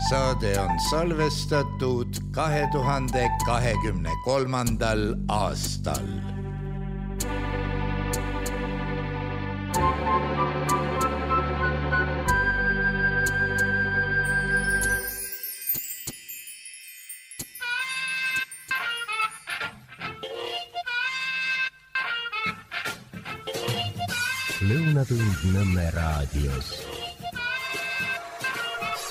Saade on salvestatud 2023. aastal. Lõunatund Nõmme raadios.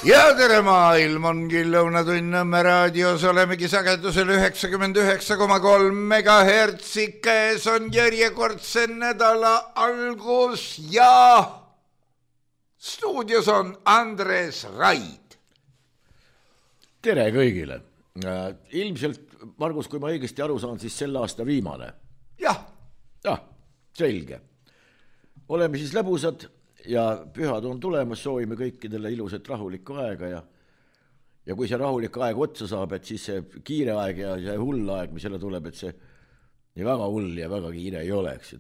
Ja tere maailm ongi Lõunatund Nõmme raadios, olemegi sagedusel 99,3 megahertsi, käes on järjekordse nädala algus ja stuudios on Andres Raid. Tere kõigile. Ilmselt, Margus, kui ma õigesti aru saan, siis selle aasta viimane. Jah, selge. Oleme siis lõbusad ja pühad on tulemas, soovime kõikidele ilusat rahulikku aega ja kui see rahulik aeg otsa saab, et siis see kiire aeg ja see hull aeg, mis jälle tuleb, et see nii väga hull ja väga kiire ei oleks.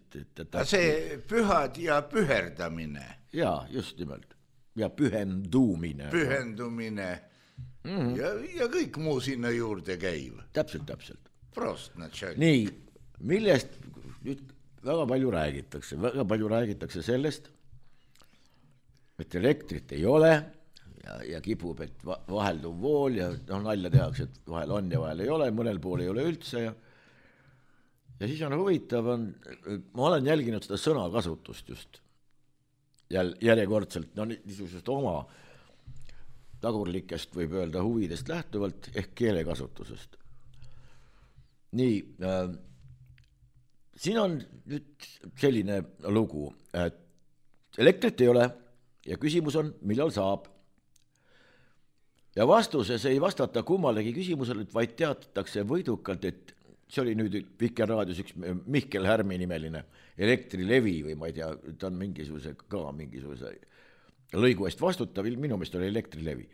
See pühad ja püherdamine. Jaa, just nimelt. Ja pühendumine. Ja kõik muu sinna juurde käiv. Täpselt. Prost, natšal. Nii, millest nüüd väga palju räägitakse sellest, et elektrit ei ole ja kipub, et vahelduv vool ja nalja tehakse, et vahel on ja vahel ei ole, mõnel pool ei ole üldse ja siis on huvitav, ma olen jälginud seda sõnakasutust just järjekordselt, niisugusest oma tagurlikest võib öelda huvidest lähtuvalt ehk keelekasutusest. Nii, siin on nüüd selline lugu, et elektrit ei ole ja küsimus on, millal saab. Ja vastuses ei vastata kummalegi küsimusele, vaid teatatakse võidukalt, et see oli nüüd Vikerraadios üks Mihkel Härmi nimeline Elektrilevi või ma ei tea, ta on mingisuguse lõigu eest vastutav, minu meelest oli Elektrilevi.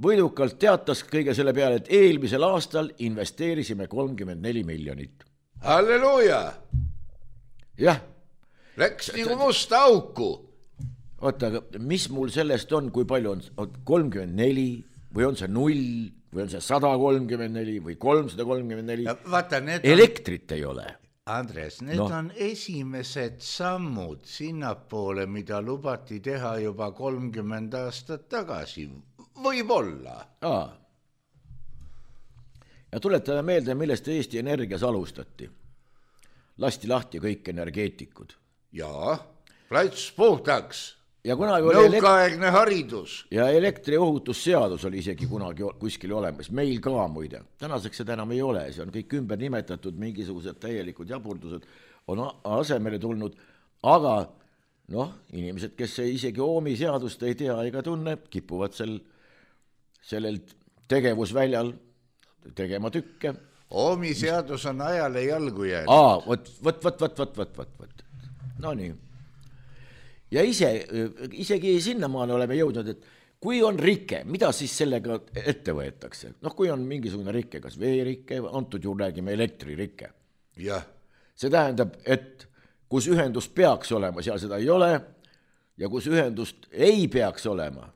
Võidukalt teatas kõige selle peale, et eelmisel aastal investeerisime 34 miljonit. Halleluuja! Jah. Läks nagu musta auku. Oota, aga mis mul sellest on, kui palju on 34 või on see 0 või on see 134 või 334? Vaata, elektrit ei ole. Andres, need on esimesed sammud sinnapoole, mida lubati teha juba 30 aastat tagasi. Võib-olla. Ja tuletame meelde, millest Eesti Energias alustati. Lasti lahti kõik energeetikud. Jaa, plats puhtaks. Ja nõukaaegne haridus. Ja elektriohutusseadus oli isegi kunagi kuskil olemas. Meil ka muide. Tänaseks seda enam ei ole. See on kõik ümber nimetatud, mingisugused täielikud jaburdused on asemele tulnud. Aga inimesed, kes isegi Oomi seadust ei tea ega tunne, kipuvad sellel tegevusväljal tegema tükke. Oomi seadus on ajale jalgu jäänud. Võt. No nii. Ja isegi sinnamaale oleme jõudnud, et kui on rike, mida siis sellega ette võetakse? Kui on mingisugune rike, kas veerikke, antud juhul räägime elektririke. Jah. See tähendab, et kus ühendus peaks olema, seal seda ei ole ja kus ühendust ei peaks olema,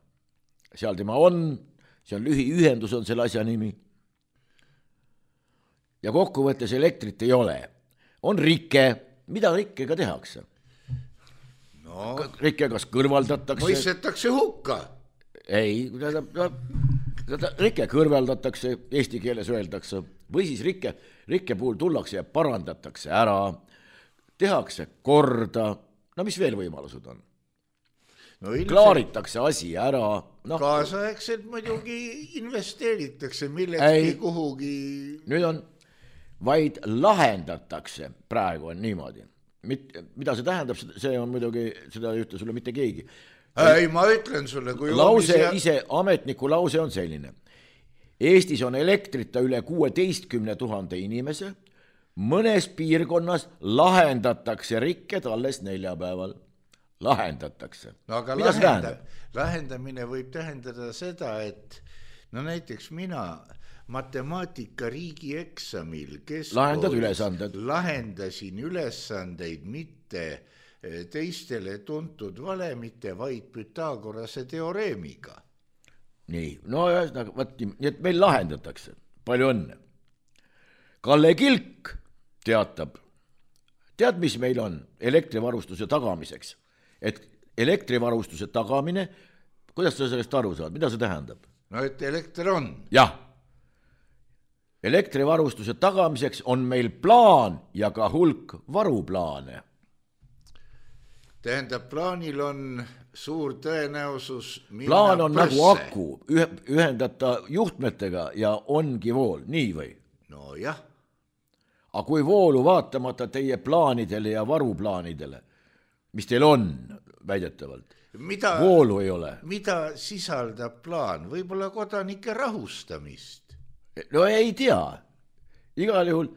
seal tema on, see on lühiühendus on selle asja nimi. Ja kokkuvõttes elektrit ei ole. On rike, mida rikkega tehakse? Rikke kas kõrvaldatakse. Mõistetakse hukka. Ei, rikke kõrvaldatakse, eesti keeles öeldakse, või siis rikke puhul tullakse ja parandatakse ära, tehakse korda, mis veel võimalused on? Klaaritakse asi ära. Kaasaegselt muidugi investeeritakse millegi kuhugi. Nüüd on, vaid lahendatakse, praegu on niimoodi. Mida see tähendab, see on muidugi, seda ei ütle sulle mitte keegi. Ei, ma ütlen sulle, kui ametniku lause on selline. Eestis on elektrita üle 16 000 inimese, mõnes piirkonnas lahendatakse rikked alles neljapäeval. Lahendatakse. Aga lahendamine võib tähendada seda, et näiteks matemaatika riigieksamil lahendasin ülesandeid mitte teistele tuntud valemite, vaid Pythagorase teoreemiga. Nii, no ühesõnaga, nii et meil lahendatakse. Palju õnne. Kalle Kilk teatab, tead, mis meil on elektrivarustuse tagamiseks? Et elektrivarustuse tagamine, kuidas sa sellest aru saad? Mida see tähendab? No, et elekter on. Jah. Elektrivarustuse tagamiseks on meil plaan ja ka hulk varuplaane. Tähendab, plaanil on suur tõenäosus minna plaan on pösse. Nagu aku, ühendata juhtmetega ja ongi vool, nii või? No jah. Aga kui voolu vaatamata teie plaanidele ja varuplaanidele, mis teil on väidetavalt, voolu ei ole. Mida sisaldab plaan? Võib-olla kodanike rahustamist? No ei tea. Igal juhul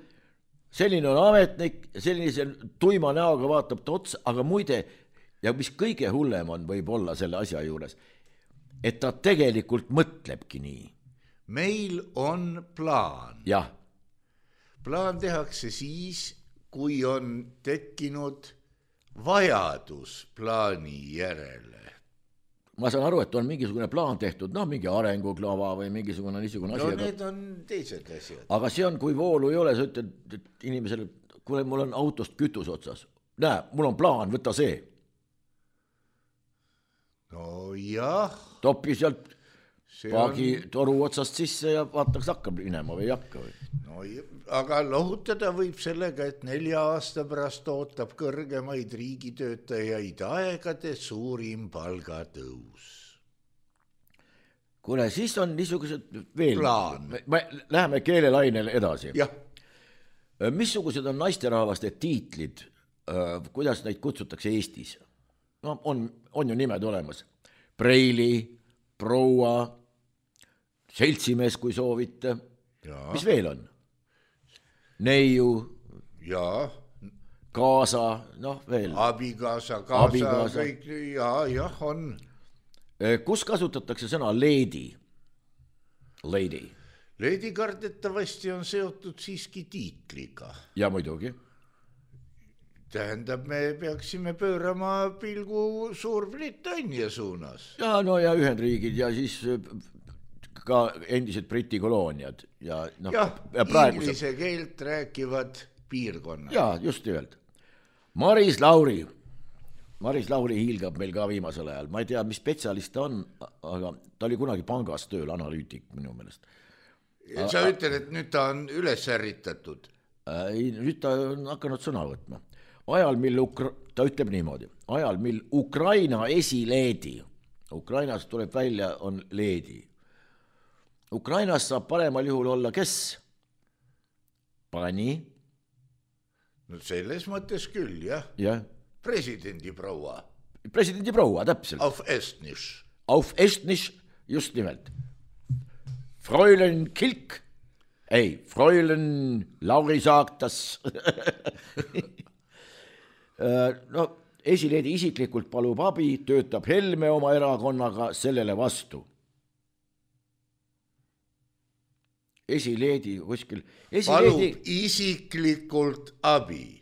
selline on ametnik, sellise tuima näoga vaatab ta otsa, aga muide, ja mis kõige hullem on võib-olla selle asja juures, et ta tegelikult mõtlebki nii. Meil on plaan. Jah. Plaan tehakse siis, kui on tekkinud vajadus plaani järele. Ma saan aru, et on mingisugune plaan tehtud, mingi arenguklava või mingisugune niisugune asi. No need on teised asjad. Aga see on, kui voolu ei ole, sa ütled, et inimesele, kuule, mul on autost kütus otsas. Näe, mul on plaan, võta see. No jah. Topi sealt paagi toru otsast sisse ja vaataks hakkab minema või ei hakka või? No, aga lohutada võib sellega, et 4 aasta pärast ootab kõrgemaid riigitöötajaid aegade suurim palgatõus. Kuule, siis on niisugused veel. Plaan. Me läheme keelelainele edasi. Jah. Missugused on naisterahvaste tiitlid, kuidas neid kutsutakse Eestis? No on ju nimed olemas. Preili, proua, seltsimees, kui soovite. Ja. Mis veel on? Neiu. Ja. Kaasa, veel. Abikaasa, kaasa, kõik, ja, on. Kus kasutatakse sõna lady? Lady. Lady kardetavasti on seotud siiski tiitliga. Ja muidugi. Tähendab, me peaksime pöörama pilgu Suurbritannia suunas. Ja Ühendriigid ja siis ka endised Briti kolooniad. Ja inglise keelt rääkivad piirkonnad. Ja, just nimelt. Maris Lauri hiilgab meil ka viimasel ajal. Ma ei tea, mis spetsialist ta on, aga ta oli kunagi pangas tööl, analüütik minu meelest. Sa ütled, et nüüd ta on üles ärritatud? Nüüd ta on hakanud sõna võtma. Ta ütleb niimoodi, ajal mil Ukraina esileedi, Ukrainas tuleb välja, on leedi. Ukrainas saab paremal juhul olla kes? Pani? No selles mõttes küll, jah. Ja. Presidendi proua, täpselt. Auf Estnisch, just nimelt. Fräulein Kilk, Fräulein Lauri saaktas. Esileedi isiklikult palub abi, töötab Helme oma erakonnaga sellele vastu. Esileedi kuskil. Palub isiklikult abi.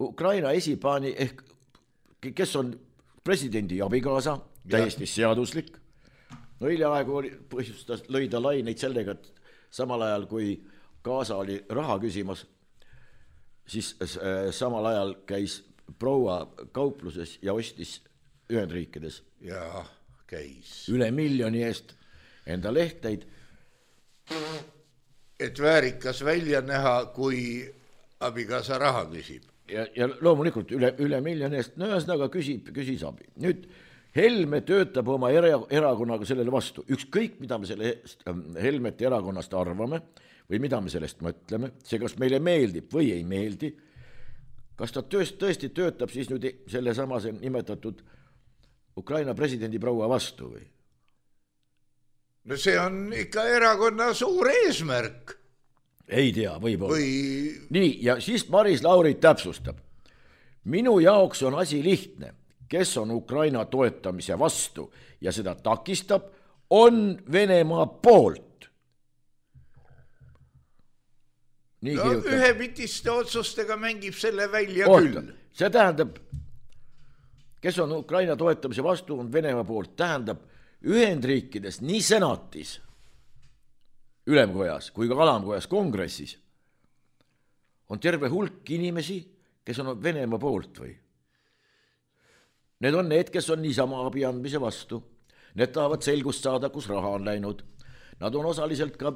Ukraina esipaani ehk kes on presidendi abikaasa, täiesti seaduslik. Hiljaaegu lõi ta laineid sellega, et samal ajal kui kaasa oli raha küsimas, siis samal ajal käis proua kaupluses ja ostis Ühendriikides. Ja, käis. Üle 1 miljoni eest enda lehteid. Et väärikas välja näha, kui abikaasa raha küsib. Ja loomulikult üle 1 miljoni eest, ühesõnaga küsis abi. Nüüd Helme töötab oma erakonnaga sellele vastu. Ükskõik, mida me sellest Helmete erakonnast arvame või mida me sellest mõtleme, see kas meile meeldib või ei meeldi, kas ta tõesti töötab siis nüüd selle samase nimetatud Ukraina presidendi proua vastu või? No see on ikka erakonna suur eesmärk. Ei tea, võib-olla. Nii, ja siis Maris Lauri täpsustab. Minu jaoks on asi lihtne. Kes on Ukraina toetamise vastu ja seda takistab, on Venemaa poolt. ühepitiste otsustega mängib selle välja küll. See tähendab, kes on Ukraina toetamise vastu, on Venemaa poolt, tähendab Ühendriikides nii senatis, ülemkojas kui ka alamkojas kongressis on terve hulk inimesi, kes on Venemaa poolt või? Need on need, kes on niisama abi andmise vastu. Need tahavad selgust saada, kus raha on läinud. Nad on osaliselt ka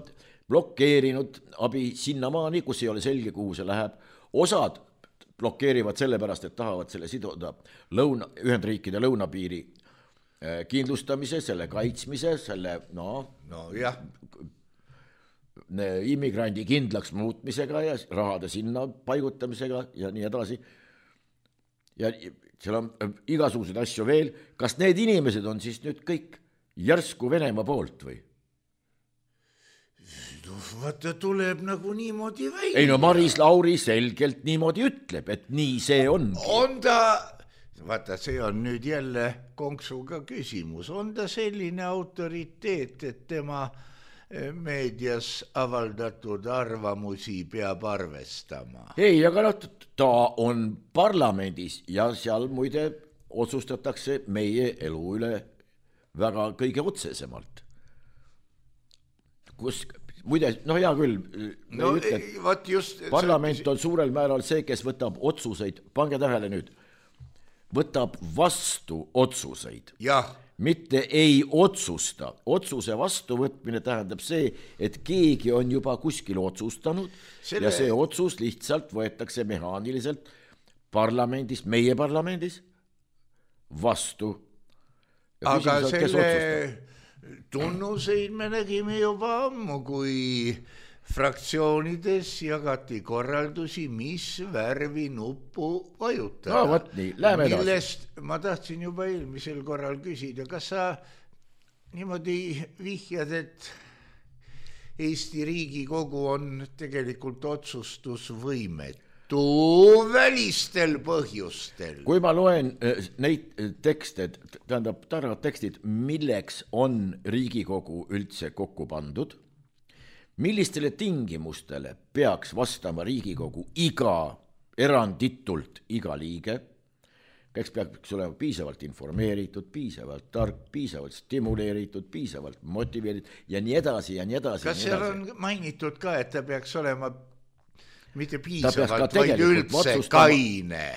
blokkeerinud abi sinnamaani, kus ei ole selge, kuhu see läheb. Osad blokkeerivad sellepärast, et tahavad selle siduda Ühendriikide lõunapiiri kindlustamise, selle kaitsmise, selle immigrandi kindlaks muutmisega ja rahade sinna paigutamisega ja nii edasi. Ja seal on igasuguseid asju veel. Kas need inimesed on siis nüüd kõik järsku Venemaa poolt või? Vaata, tuleb nagu niimoodi välja. Ei no Maris Lauri selgelt niimoodi ütleb, et nii see ongi. On ta, vaata, see on nüüd jälle konksuga küsimus. On ta selline autoriteet, et tema meedias avaldatud arvamusi peab arvestama? Ei, aga ta on parlamendis ja seal muide otsustatakse meie elu üle väga kõige otsesemalt. Kus, muide, hea küll, parlament on suurel määral see, kes võtab otsuseid, pange tähele nüüd, võtab vastu otsuseid. Jah. Mitte ei otsusta. Otsuse vastuvõtmine tähendab see, et keegi on juba kuskil otsustanud ja see otsus lihtsalt võetakse mehaaniliselt parlamendis, meie parlamendis vastu. Ja aga selle tunnuseid me nägime juba ammu, kui fraktsioonides jagati korraldusi, mis värvi nuppu vajutada. No võt nii, läheme edasi. Millest ma tahtsin juba eelmisel korral küsida, kas sa niimoodi vihjad, et Eesti Riigikogu on tegelikult otsustusvõimetu välistel põhjustel? Kui ma loen neid tekste, tähendab targad tekstid, milleks on Riigikogu üldse kokku pandud, millistele tingimustele peaks vastama Riigikogu eranditult iga liige, kes peaks olema piisavalt informeeritud, piisavalt tark, piisavalt stimuleeritud, piisavalt motiveeritud ja nii edasi ja nii edasi. Kas seal on mainitud ka, et ta peaks olema mitte piisavalt, vaid üldse kaine?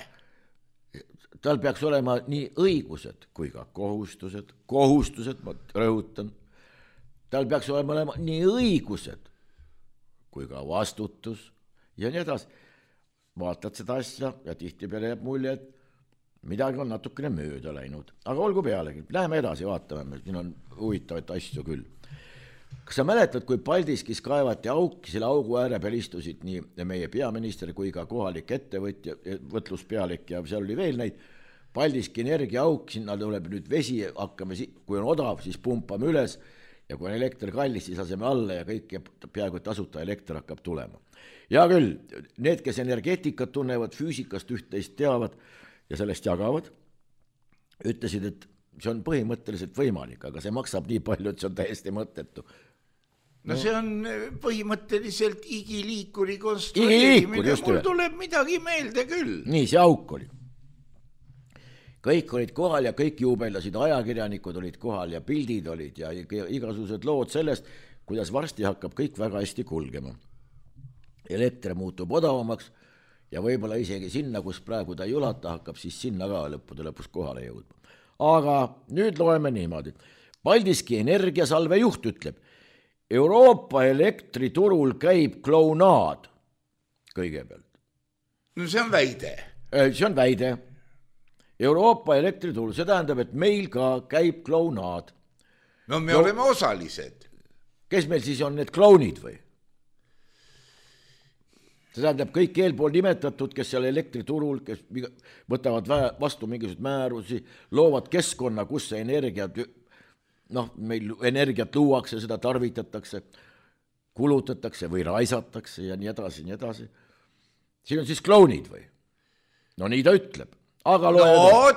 Tal peaks olema nii õigused kui ka kohustused, ma rõhutan. Tal peaks olema nii õigused kui ka vastutus ja nii edasi. Vaatad seda asja ja tihtipeale jääb mulje, et midagi on natukene mööda läinud. Aga olgu pealegi, läheme edasi, vaatame, siin on huvitavaid asju küll. Kas sa mäletad, kui Paldiskis kaevati auki, selle augu ääre peal istusid nii meie peaminister kui ka kohalik ettevõtja, võtluspealik ja seal oli veel neid, Paldiski energia auk, sinna tuleb nüüd vesi, hakkame, kui on odav, siis pumpame üles ja kui on elekter kallis, siis laseme alla ja kõik peaaegu tasuta elekter hakkab tulema. Ja küll, need, kes energeetikat tunnevad, füüsikast üht-teist teavad ja sellest jagavad, ütlesid, et see on põhimõtteliselt võimalik, aga see maksab nii palju, et see on täiesti mõttetu. No see on põhimõtteliselt igiliikuri konstrueerimine, mul tuleb midagi meelde küll. Nii, see auk oli. Kõik olid kohal ja kõik juubeldasid, ajakirjanikud olid kohal ja pildid olid ja igasugused lood sellest, kuidas varsti hakkab kõik väga hästi kulgema. Elekter muutub odavamaks ja võib-olla isegi sinna, kus praegu ta ei ulata, hakkab siis sinna ka lõppude lõpus kohale jõudma. Aga nüüd loeme niimoodi. Paldiski energiasalve juht ütleb, Euroopa elektriturul käib klounaad kõigepealt. No see on väide. See on väide. Euroopa elektriturul, see tähendab, et meil ka käib klounaad. No me oleme osalised. Kes meil siis on need klounid või? See tähendab kõik eelpool nimetatud, kes seal elektriturul, kes võtavad vastu mingisugused määrusi, loovad keskkonna, kus see energiat, meil energiat luuakse, seda tarvitatakse, kulutatakse või raisatakse ja nii edasi, nii edasi. Siin on siis klounid või? No nii ta ütleb. Aga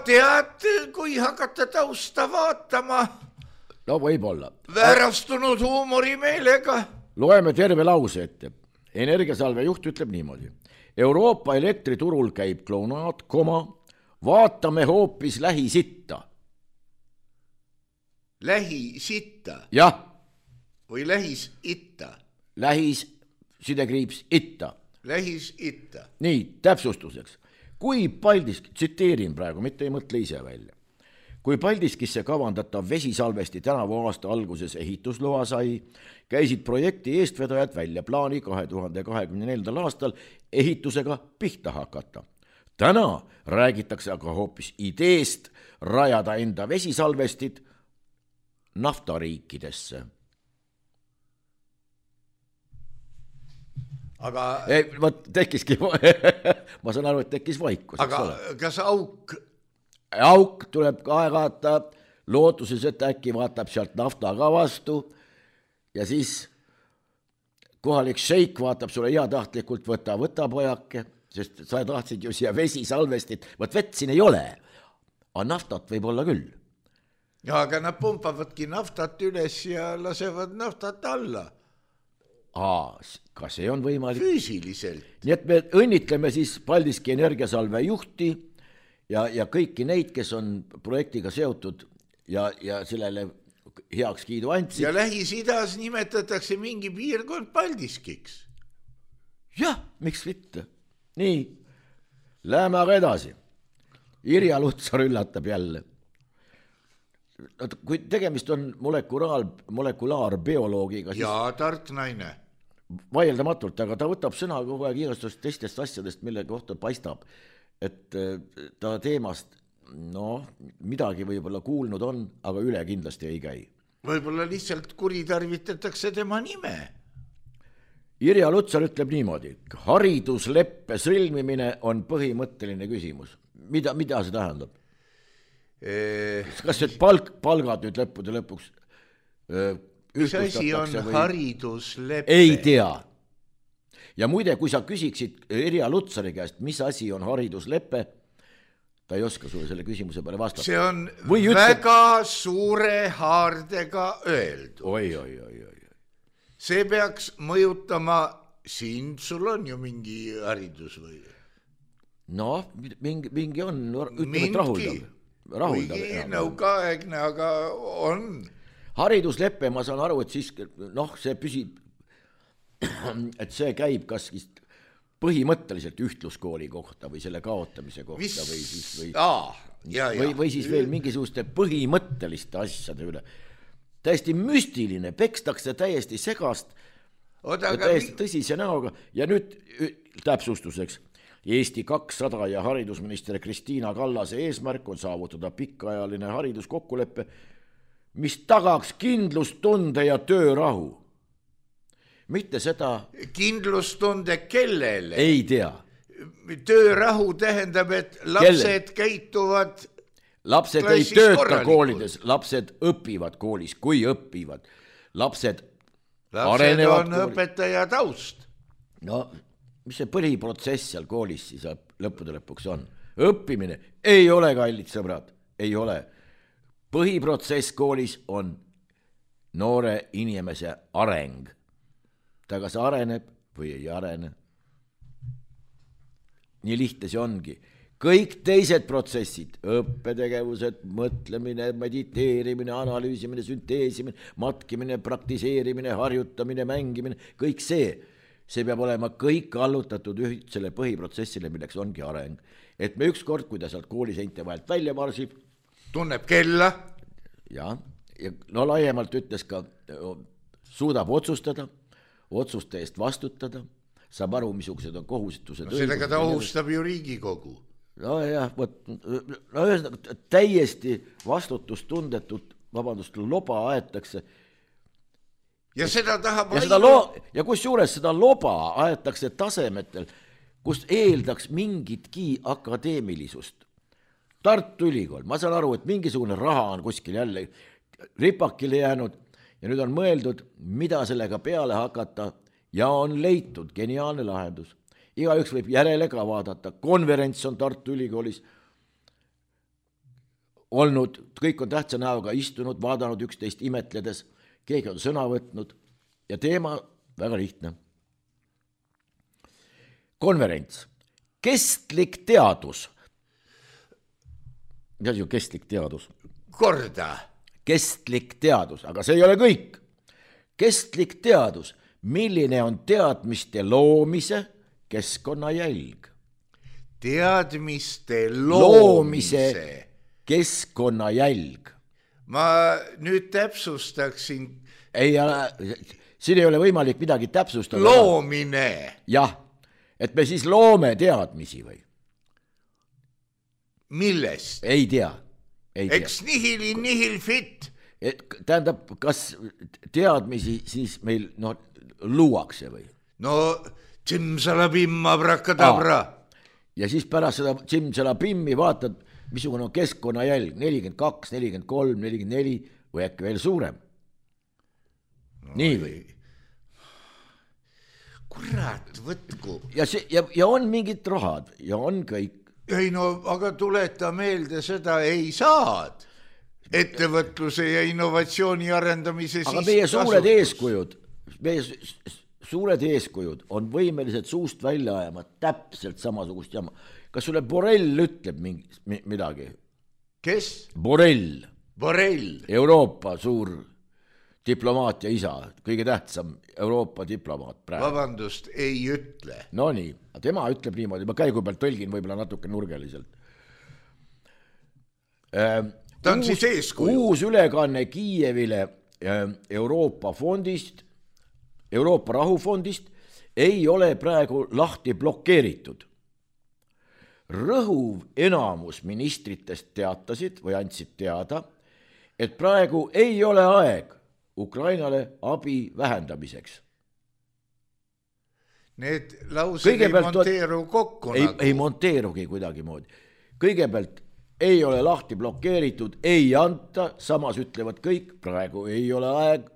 tead, kui hakata tausta vaatama. No võib-olla. Väärastunud huumorimeelega. Loeme terve lause ette. Energiasalve juht ütleb niimoodi. Euroopa elektriturul käib klounaad, vaatame hoopis Lähis-Itta. Lähis-Itta? Jah. Või Lähis-Itta? Lähis-Itta. Lähis-Itta. Nii, täpsustuseks. Kui Paldiski, tsiteerin praegu, mitte ei mõtle ise välja. Kui Paldiskisse kavandatav vesisalvesti tänavu aasta alguses ehitusloa sai, käisid projekti eestvedajad välja plaani 2024. aastal ehitusega pihta hakata. Täna räägitakse aga hoopis ideest rajada enda vesisalvestid naftariikidesse. Aga Võt, tekkiski, ma saan aru, et tekkis vaikus. Aga kas Auk tuleb aeg-aata lootuses, et äkki vaatab sealt nafta ka vastu ja siis kohalik šeik vaatab sulle heatahtlikult, võta pojake, sest sa tahtsid ju siia vesisalvestit, võt vett siin ei ole, aga naftat võib olla küll. Ja, aga nad pumpavadki naftat üles ja lasevad naftat alla. Ka see on võimalik. Füüsiliselt. Nii et me õnnitleme siis Paldiski energiasalve juhti ja kõiki neid, kes on projektiga seotud ja sellele heaks kiidu andsid. Ja Lähis-Idas nimetatakse mingi piirkond Paldiskiks. Jah, miks mitte? Nii, läheme aga edasi. Irja Lutsar üllatab jälle. Kui tegemist on molekulaarbioloogiga, siis ja tart naine. Vaieldamatult, aga ta võtab sõna kogu aeg igastust teistest asjadest, mille kohta paistab, et ta teemast midagi võib-olla kuulnud on, aga üle kindlasti ei käi. Võib-olla lihtsalt kuritarvitatakse tema nime. Irja Lutsar ütleb niimoodi, haridusleppe sõlmimine on põhimõtteline küsimus. Mida see tähendab? Kas need palgad nüüd lõppude lõpuks mis asi on haridusleppe? Ei tea. Ja muide, kui sa küsiksid Irja Lutsari käest, mis asi on haridusleppe, ta ei oska sulle selle küsimuse peale vastata. See on väga suure haardega öeldud. Oi. See peaks mõjutama sind, sul on ju mingi haridus või? Mingi on, ütleme, et rahuldav. Nõukaaegne, aga on. Haridusleppe, ma saan aru, et siis, see püsib, et see käib kas põhimõtteliselt ühtluskooli kohta või selle kaotamise kohta või siis veel mingisuguste põhimõtteliste asjade üle. Täiesti müstiline, pekstakse täiesti segast, täiesti tõsise näoga ja nüüd täpsustuseks. Eesti 200 ja haridusminister Kristiina Kallase eesmärk on saavutada pikaajaline hariduskokkuleppe, mis tagaks kindlustunde ja töörahu. Mitte seda... Kindlustunde kellele? Ei tea. Töörahu tähendab, et lapsed käituvad... Lapsed ei tööta koolides, lapsed õpivad koolis, kui õpivad. Lapsed arenevad on õpetaja taust. Mis see põhiprotsess seal koolis siis lõppude lõpuks on? Õppimine ei ole, kallid sõbrad, ei ole. Põhiprotsess koolis on noore inimese areng. Ta kas areneb või ei arene. Nii lihtne see ongi. Kõik teised protsessid, õppetegevused, mõtlemine, mediteerimine, analüüsimine, sünteesimine, matkimine, praktiseerimine, harjutamine, mängimine, kõik see peab olema kõik allutatud ühtsele põhiprotsessile, milleks ongi areng. Et me ükskord, kui ta sealt kooliseinte vahelt välja marsib, tunneb kella. Ja laiemalt ütles ka, suudab otsustada, otsuste eest vastutada, saab aru, missugused on kohustused. Sellega ta ohustab ju Riigikogu. Täiesti vastutustundetut, loba aetakse. Ja seda tahab ja kus juures seda loba aetakse tasemetel, kus eeldaks mingitki akadeemilisust. Tartu Ülikool, ma saan aru, et mingisugune raha on kuskil jälle ripakile jäänud ja nüüd on mõeldud, mida sellega peale hakata ja on leitud geniaalne lahendus. Igaüks võib järele ka vaadata. Konverents on Tartu Ülikoolis olnud, kõik on tähtsa näoga istunud, vaadanud üksteist imetledes, keegi on sõna võtnud ja teema väga lihtne. konverents, kestlik teadus. Mis asi on kestlik teadus? Korda. Kestlik teadus, aga see ei ole kõik. Kestlik teadus, milline on teadmiste loomise keskkonnajälg? Teadmiste loomise keskkonnajälg. Ma nüüd täpsustaksin. Ei, siin ei ole võimalik midagi täpsustada. Loomine. Jah, et me siis loome teadmisi või? Millest? Ei tea. Eks nihil fit. Tähendab, kas teadmisi siis meil luuakse või? No, tšimsalabim, abrakadabra. Ja siis pärast seda tšimsalabimmi vaatad, missugune on keskkonnajälg, 42, 43, 44 või äkki veel suurem. Nii või? Kurat, võtku. Ja on mingid rahad ja on kõik. Ei no, aga tuleta meelde seda ei saad. Ettevõtluse ja innovatsiooni arendamise aga meie suured eeskujud on võimelised suust välja ajama täpselt samasugust jama. Kas sulle Borrell ütleb midagi? Kes? Borrell. Euroopa suur diplomaatia isa, kõige tähtsam Euroopa diplomaat praegu. Vabandust, ei ütle. No nii, tema ütleb niimoodi, ma käigu pealt tõlgin võib-olla natuke nurgeliselt. Ta on siis eeskuju. Uus ülekanne Kiievile Euroopa fondist, Euroopa rahufondist ei ole praegu lahti blokeeritud. Rõhuv enamus ministritest teatasid või andsid teada, et praegu ei ole aeg Ukrainale abi vähendamiseks. Need laused ei monteeru kokku. Ei monteerugi kuidagi moodi. Kõigepealt ei ole lahti blokeeritud, ei anta, samas ütlevad kõik, praegu ei ole aeg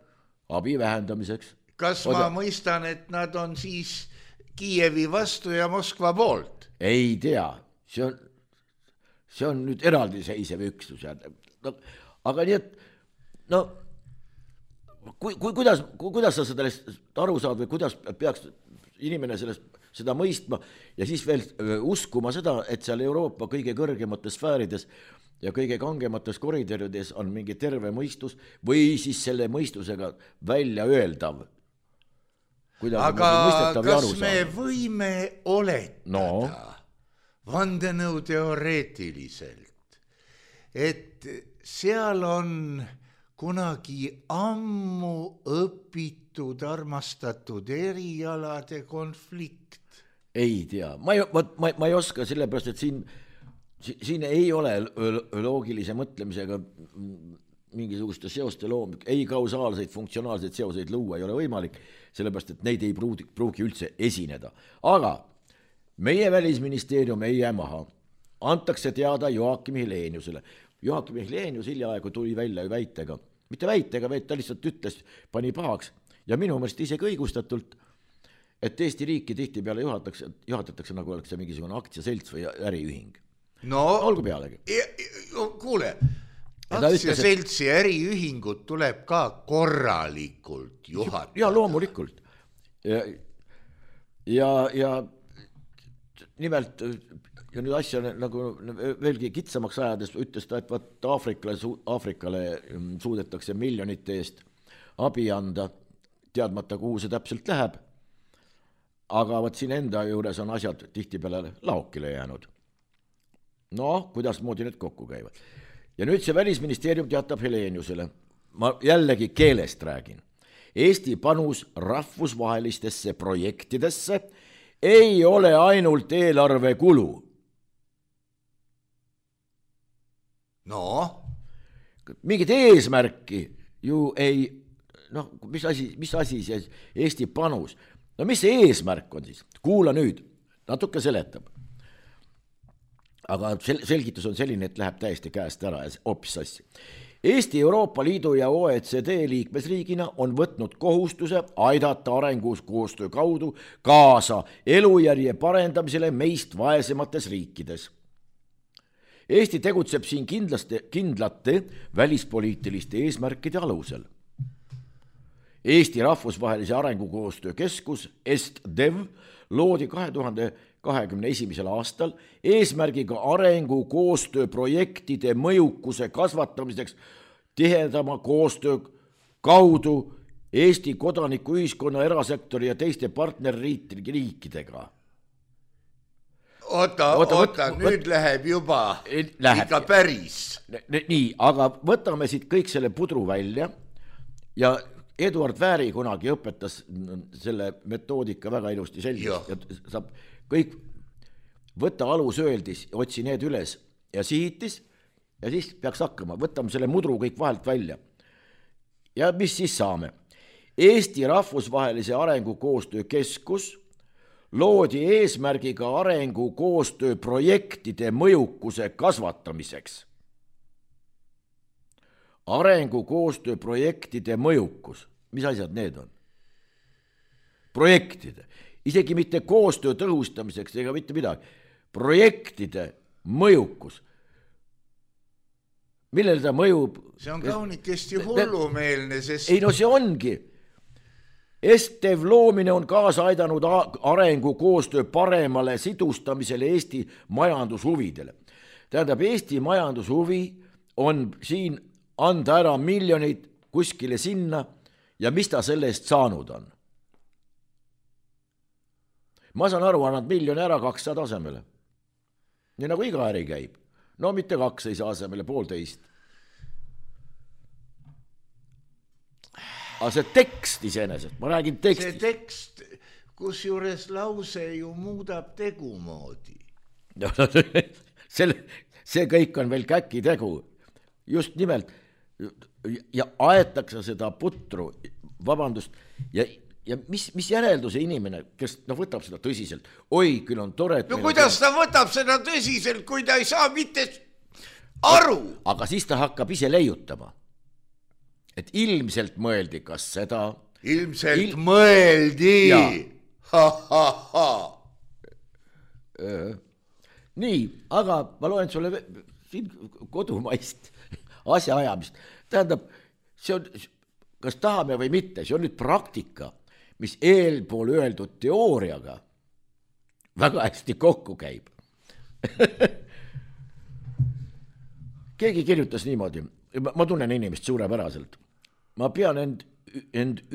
abi vähendamiseks. Kas ma mõistan, et nad on siis Kiievi vastu ja Moskva poolt? Ei tea, see on nüüd eraldiseisev üksus. Aga nii, et kuidas sa sellest aru saad või kuidas peaks inimene seda mõistma ja siis veel uskuma seda, et seal Euroopa kõige kõrgemates sfäärides ja kõige kangemates koridorides on mingi terve mõistus või siis selle mõistusega välja öeldav. Aga kas me võime oletada vandenõu teoreetiliselt, et seal on kunagi ammu õpitud, armastatud erialade konflikt? Ei tea, ma ei oska sellepärast, et siin ei ole loogilise mõtlemisega mingisuguste seoste loomik, ei kausaalseid, funktsionaalseid seoseid luua ei ole võimalik, sellepärast, et neid ei pruugi üldse esineda. Aga meie välisministeerium ei jää maha, antakse teada Joakim Heleniusele. Joakim Helenius hiljaaegu tuli välja väitega, mitte väitega, vaid ta lihtsalt ütles, pani pahaks ja minu meelest isegi õigustatult, et Eesti riiki tihtipeale juhatatakse nagu oleks see mingisugune aktsiaselts või äriühing. No, olgu pealegi. Kuule, aktsiaseltsi ja äriühingut tuleb ka korralikult juhatada. Ja loomulikult. Ja nimelt ja nüüd asja nagu veelgi kitsamaks ajades ütles ta, et vaat Aafrikale suudetakse miljonite eest abi anda, teadmata, kuhu see täpselt läheb. Aga vaat siin enda juures on asjad tihtipeale laokile jäänud. Kuidas moodi need kokku käivad. Ja nüüd see välisministeerium teatab Heleniusele. Ma jällegi keelest räägin. Eesti panus rahvusvahelistesse projektidesse ei ole ainult eelarve kulu. Mingit eesmärki ju ei, mis asi see Eesti panus? Mis see eesmärk on siis? Kuula nüüd, natuke seletab. Aga selgitus on selline, et läheb täiesti käest ära ja hoopis sassi. Eesti Euroopa Liidu ja OECD liikmesriigina on võtnud kohustuse aidata arengus koostöö kaudu kaasa elujärje parendamisele meist vaesemates riikides. Eesti tegutseb siin kindlate välispoliitiliste eesmärkide alusel. Eesti rahvusvahelise arengukoostöö keskus EstDev loodi 2021. aastal eesmärgiga arengukoostööprojektide mõjukuse kasvatamiseks tihedama koostöö kaudu Eesti kodanikuühiskonna, erasektori ja teiste partnerriikidega. Oota, nüüd läheb juba ikka päris. Nii, aga võtame siit kõik selle pudru välja ja Eduard Vääri kunagi õpetas selle metoodika väga ilusti selgeks ja saab kõik võtta alusööldis, otsi need üles ja sihitis ja siis peaks hakkama, võtame selle mudru kõik vahelt välja. Ja mis siis saame? Eesti rahvusvahelise arengukoostöö keskus loodi eesmärgiga arengukoostöö projektide mõjukuse kasvatamiseks. Arengukoostöö projektide mõjukus. Mis asjad need on? Projektide. Isegi mitte koostöö tõhustamiseks ega mitte midagi. Projektide mõjukus. Millel ta mõjub? See on kaunikesti hullumeelne, sest... Ei, no see ongi. Estev loomine on kaasa aidanud arengukoostöö paremale sidustamisele Eesti majandushuvidele. Tähendab, Eesti majandushuvi on siin anda ära miljonid kuskile sinna ja mis ta selle eest saanud on. Ma saan aru, annad miljoni ära 200 asemele. Nii nagu iga äri käib. No mitte 2 ei saa asemele, 1,5. Aga see tekst iseenesest, ma räägin tekstist. See tekst, kus juures lause ju muudab tegumoodi. See kõik on veel käki tegu. Just nimelt. Ja aetakse seda putru, vabandust, ja mis järelduse inimene, kes võtab seda tõsiselt, oi, küll on tore. No kuidas ta võtab seda tõsiselt, kui ta ei saa mitte aru? Aga siis ta hakkab ise leiutama. Et ilmselt mõeldi, kas seda... Ilmselt mõeldi! Nii, aga ma loen sulle siin kodumaist asjaajamist. Tähendab, see on, kas tahame või mitte, see on nüüd praktika, mis eelpool öeldud teooriaga väga hästi kokku käib. Keegi kirjutas niimoodi, ma tunnen inimest suurepäraselt. Ma pean end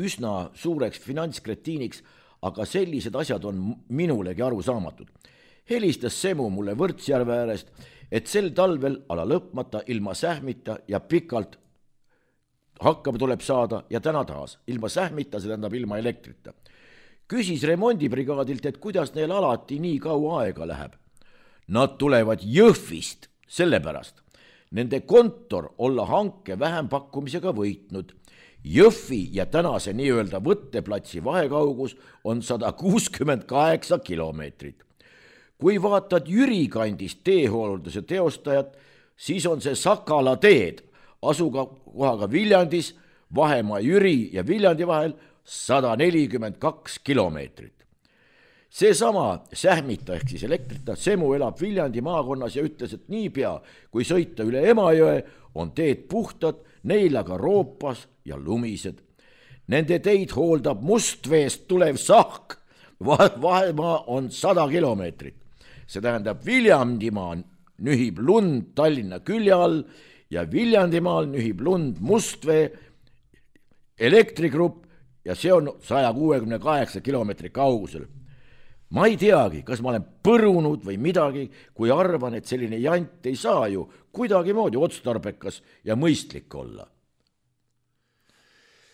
üsna suureks finantskretiiniks, aga sellised asjad on minulegi aru saamatud. Helistas Semu mulle Võrtsjärve äärest, et sel talvel ala lõpmata ilma sähmita ja pikalt hakkama tuleb saada ja täna taas. Ilma sähmita, see tähendab ilma elektrita. Küsis remondibrigaadilt, et kuidas neil alati nii kaua aega läheb. Nad tulevad Jõhvist, sellepärast. Nende kontor olla hanke vähempakkumisega võitnud. Jõhvi ja tänase nii-öelda võtteplatsi vahekaugus on 168 kilomeetrit. Kui vaatad Jüri kandist teehoolduse teostajat, siis on see Sakala teed, asuga kohaga Viljandis, vahemaa Jüri ja Viljandi vahel 142 kilomeetrit. Seesama sähmita ehk siis elektrita Semu elab Viljandi maakonnas ja ütles, et niipea, kui sõita üle Emajõe, on teed puhtad, neil aga roopas ja lumised. Nende teid hooldab Mustveest tulev sahk, vahemaa on 100 kilomeetrit. See tähendab, Viljandimaa nühib lund Tallinna külje all ja Viljandimaal nühib lund Mustvee elektrigrupp ja see on 168 kilomeetri kaugusel. Ma ei teagi, kas ma olen põrunud või midagi, kui arvan, et selline jant ei saa ju kuidagi moodi otstarbekas ja mõistlik olla.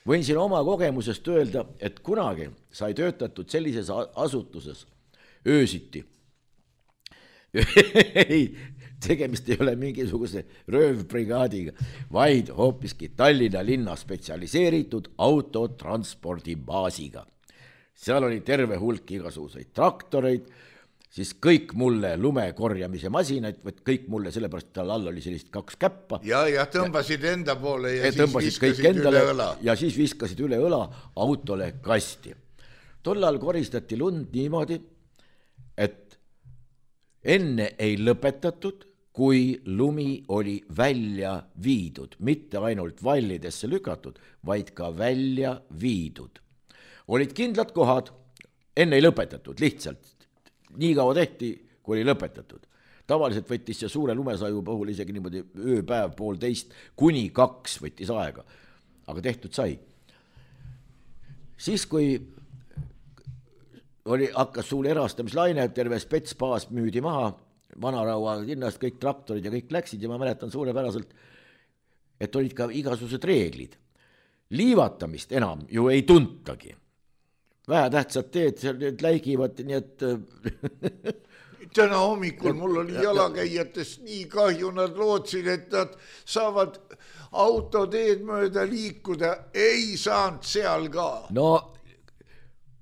Võin siin oma kogemusest öelda, et kunagi sai töötatud sellises asutuses öösiti. Ei, tegemist ei ole mingisuguse röövbrigaadiga, vaid hoopiski Tallinna linna spetsialiseeritud autotranspordibaasiga. Seal oli terve hulk igasuguseid traktoreid, siis kõik mulle lumekorjamise masinaid, kõik mulle, sellepärast tal all oli sellist 2 käppa. Ja tõmbasid enda poole ja siis viskasid üle õla. Ja siis viskasid üle õla autole kasti. Tollal koristati lund niimoodi, et enne ei lõpetatud, kui lumi oli välja viidud, mitte ainult vallidesse lükatud, vaid ka välja viidud. Olid kindlad kohad, enne ei lõpetatud, lihtsalt nii kaua tehti, kui oli lõpetatud. Tavaliselt võttis see suure lumesaju puhul isegi niimoodi ööpäev 1,5 kuni 2 võttis aega, aga tehtud sai. Siis, kui hakkas suur erastamislaine, terve spetsbaas müüdi maha, Vanaraua linnast kõik traktorid ja kõik läksid ja ma mäletan suurepäraselt, et olid ka igasugused reeglid. Liivatamist enam ju ei tuntagi. Vähetähtsad teed, need läigivad, nii et... Täna hommikul mul oli jalakäijatest nii kahju, nad lootsid, et nad saavad autoteed mööda liikuda, ei saanud seal ka. No,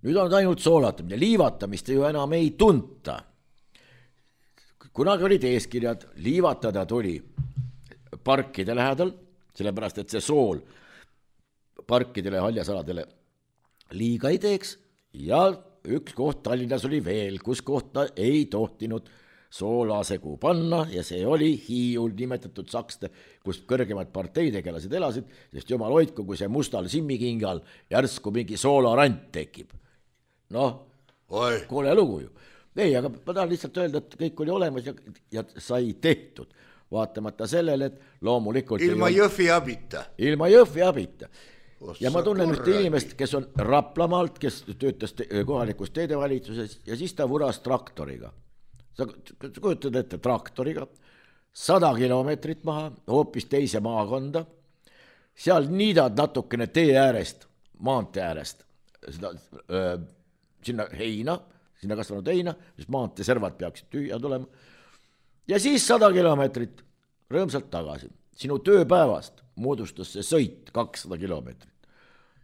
nüüd on ainult soolatamine, liivatamist ju enam ei tunta. Kunagi olid eeskirjad, liivatada tuli parkide lähedal, sellepärast, et see sool parkidele ja haljasaladele liiga ei teeks ja üks koht Tallinnas oli veel, kus kohta ei tohtinud soolasegu panna ja see oli Hiiul nimetatud Sakste, kus kõrgemad parteitegelased elasid, sest jumal hoidku, kui see mustal simmikingal järsku mingi soolarant tekib. Noh, koole lugu ju. Ei, aga ma tahan lihtsalt öelda, et kõik oli olemas ja sai tehtud, vaatamata sellele, et loomulikult... Ilma Jõhvi abita. Ilma Jõhvi abita. Ja ma tunnen ühte inimest, kes on Raplamaalt, kes töötas kohalikus teedevalitsuses ja siis ta vuras traktoriga. Sa kujutad ette traktoriga, 100 kilomeetrit maha, hoopis teise maakonda, seal niidad natukene tee äärest, maantee äärest, sinna heina, sinna kasvanud heina, sest maantee servad peaksid tühja tulema. Ja siis 100 kilomeetrit rõõmsalt tagasi. Sinu tööpäevast moodustas see sõit 200 kilomeetrit.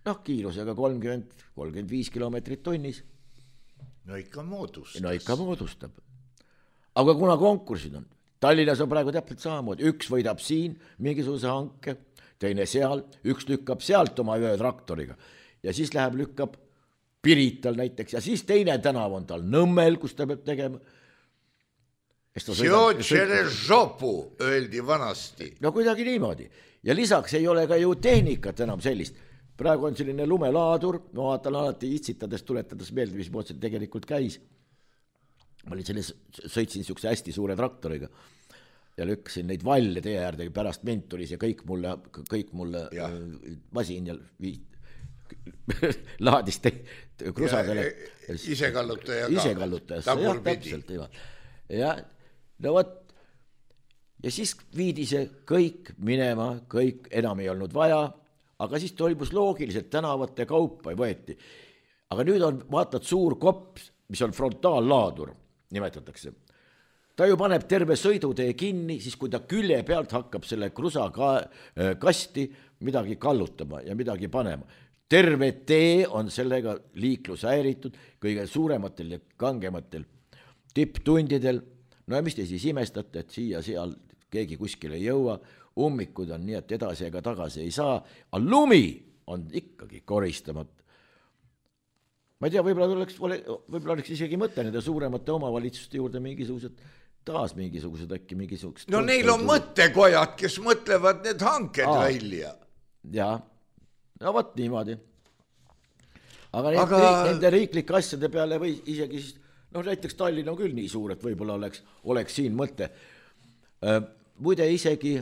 Noh, kiirusega 30-35 kilomeetrit tunnis. No ikka moodustab. Aga kuna konkursid on, Tallinnas on praegu täpselt samamoodi, üks võidab siin mingisuguse hanke, teine seal, üks lükkab sealt oma ühe traktoriga ja siis lükkab Pirital näiteks ja siis teine tänav on tal Nõmmel, kus ta peab tegema. Sjotšele žopu, öeldi vanasti. No kuidagi niimoodi. Ja lisaks ei ole ka ju tehnikat enam sellist. Praegu on selline lumelaadur, ma vaatan alati itsitades, tuletades meelde, mis mood see tegelikult käis. Ma olin sõitsin niisuguse hästi suure traktoriga ja lükkasin neid valle tee äärde, pärast mind tuli see kõik mulle masin ja laadis krusadele isekallutajasse täpselt ja no võt ja siis viidi see kõik minema, kõik enam ei olnud vaja, aga siis toimus loogiliselt tänavate kaupa võeti, aga nüüd on vaatad suur kopp, mis on frontaallaadur nimetatakse, ta ju paneb terve sõidutee kinni, siis kui ta külje pealt hakkab selle krusa kasti midagi kallutama ja midagi panema. Terve tee on sellega liiklus häiritud kõige suurematel ja kangematel tipptundidel. No ja mis te siis imestate, et siia seal keegi kuskil ei jõua, ummikud on nii, et edasi ega tagasi ei saa, aga lumi on ikkagi koristamata. Ma ei tea, võib-olla oleks isegi mõte nende suuremate omavalitsuste juurde mingisugused äkki mingisugused... No neil on mõttekojad, kes mõtlevad need hanked välja. Jaa. No võt niimoodi. Aga nende riiklike asjade peale või isegi, näiteks Tallinn on küll nii suur, et võib-olla oleks siin mõte. Muide isegi...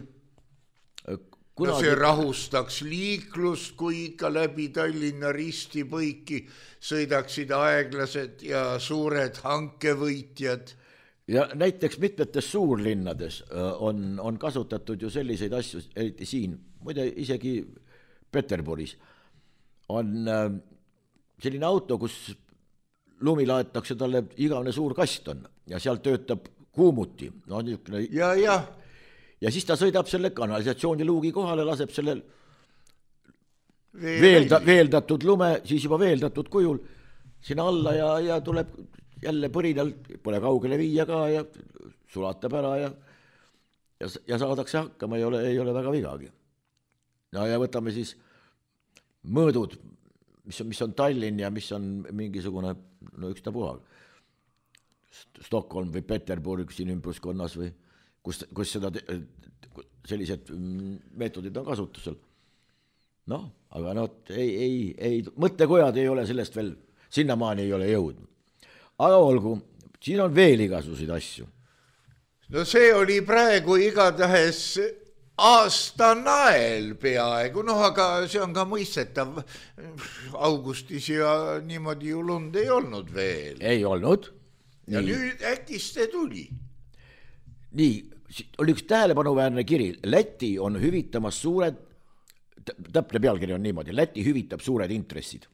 No see rahustaks liiklust, kui ikka läbi Tallinna ristipõiki sõidaksid aeglased ja suured hankevõitjad. Ja näiteks mitmetes suurlinnades on kasutatud ju selliseid asju, eriti siin, muide isegi Peterburis on selline auto, kus lumi laetakse talle igavene suur kast on ja seal töötab kuumuti. No, ja siis ta sõidab selle kanalisatsiooniluugi kohale, laseb selle veeldatud lume, siis juba veeldatud kujul sinna alla ja tuleb jälle põrinal, pole kaugele viia ka ja sulatab ära ja saadakse hakkama, ei ole väga vigagi. No ja võtame siis mõõdud, mis on Tallinn ja mis on mingisugune, ükstapuha, Stockholm või Peterburg siin ümbruskonnas või kus seda sellised meetodid on kasutusel. Aga ei, mõttekojad ei ole sellest veel sinnamaani ei ole jõudnud. Aga olgu, siin on veel igasuguseid asju. No see oli praegu igatahes aastanael peaaegu, aga see on ka mõistetav. Augustis ja niimoodi ju lund ei olnud veel. Ei olnud. Ja nüüd äkist see tuli. Nii, oli üks tähelepanuväärne kiri. Läti on hüvitamas suured, täpne pealkiri on niimoodi, Läti hüvitab suured intressid.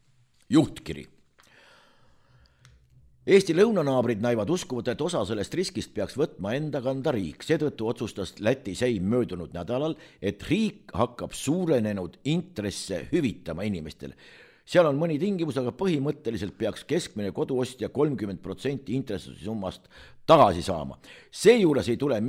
Juhtkiri. Eesti lõunanaabrid näivad uskuvad, et osa sellest riskist peaks võtma enda kanda riik. Seetõttu otsustas Läti seim möödunud nädalal, et riik hakkab suurenenud intresse hüvitama inimestele. Seal on mõni tingimus, aga põhimõtteliselt peaks keskmine koduostja 30% intressisummast tagasi saama. Seejuures ei tule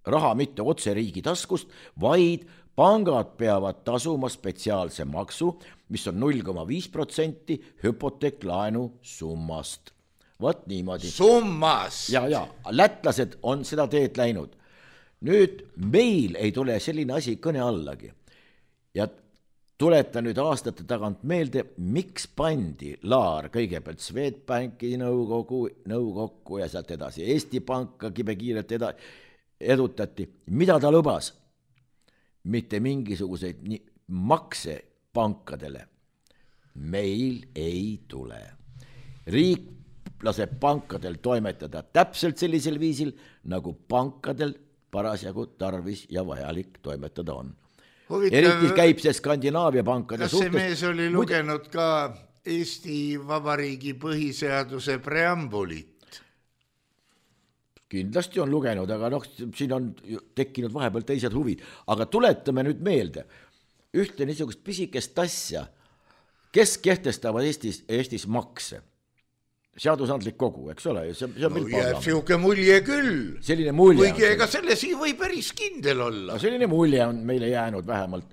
raha mitte otse riigi taskust, vaid pangad peavad tasuma spetsiaalse maksu, mis on 0,5% hüpoteeklaenu summast. Võt niimoodi. Summas! Ja, lätlased on seda teed läinud. Nüüd meil ei tule selline asi kõne allagi. Ja tuleta nüüd aastate tagant meelde, miks pandi Laar kõigepealt Swedbanki nõukokku ja sealt edasi. Eesti Panka kibekiirelt edutati. Mida ta lubas? Mitte mingisuguseid makse pankadele. Meil ei tule. Riik laseb pankadel toimetada täpselt sellisel viisil, nagu pankadel parasjagu tarvis ja vajalik toimetada on. Eriti käib see Skandinaavia pankade suhtes. Kas see mees oli lugenud ka Eesti Vabariigi põhiseaduse preambulit? Kindlasti on lugenud, aga siin on tekkinud vahepeal teised huvid. Aga tuletame nüüd meelde ühte niisugust pisikest asja, kes kehtestavad Eestis makse. Seadusandlik kogu, eks ole? Jääb siuke mulje küll. Selline mulje. Kuigi ega selles ei või päris kindel olla. Selline mulje on meile jäänud vähemalt.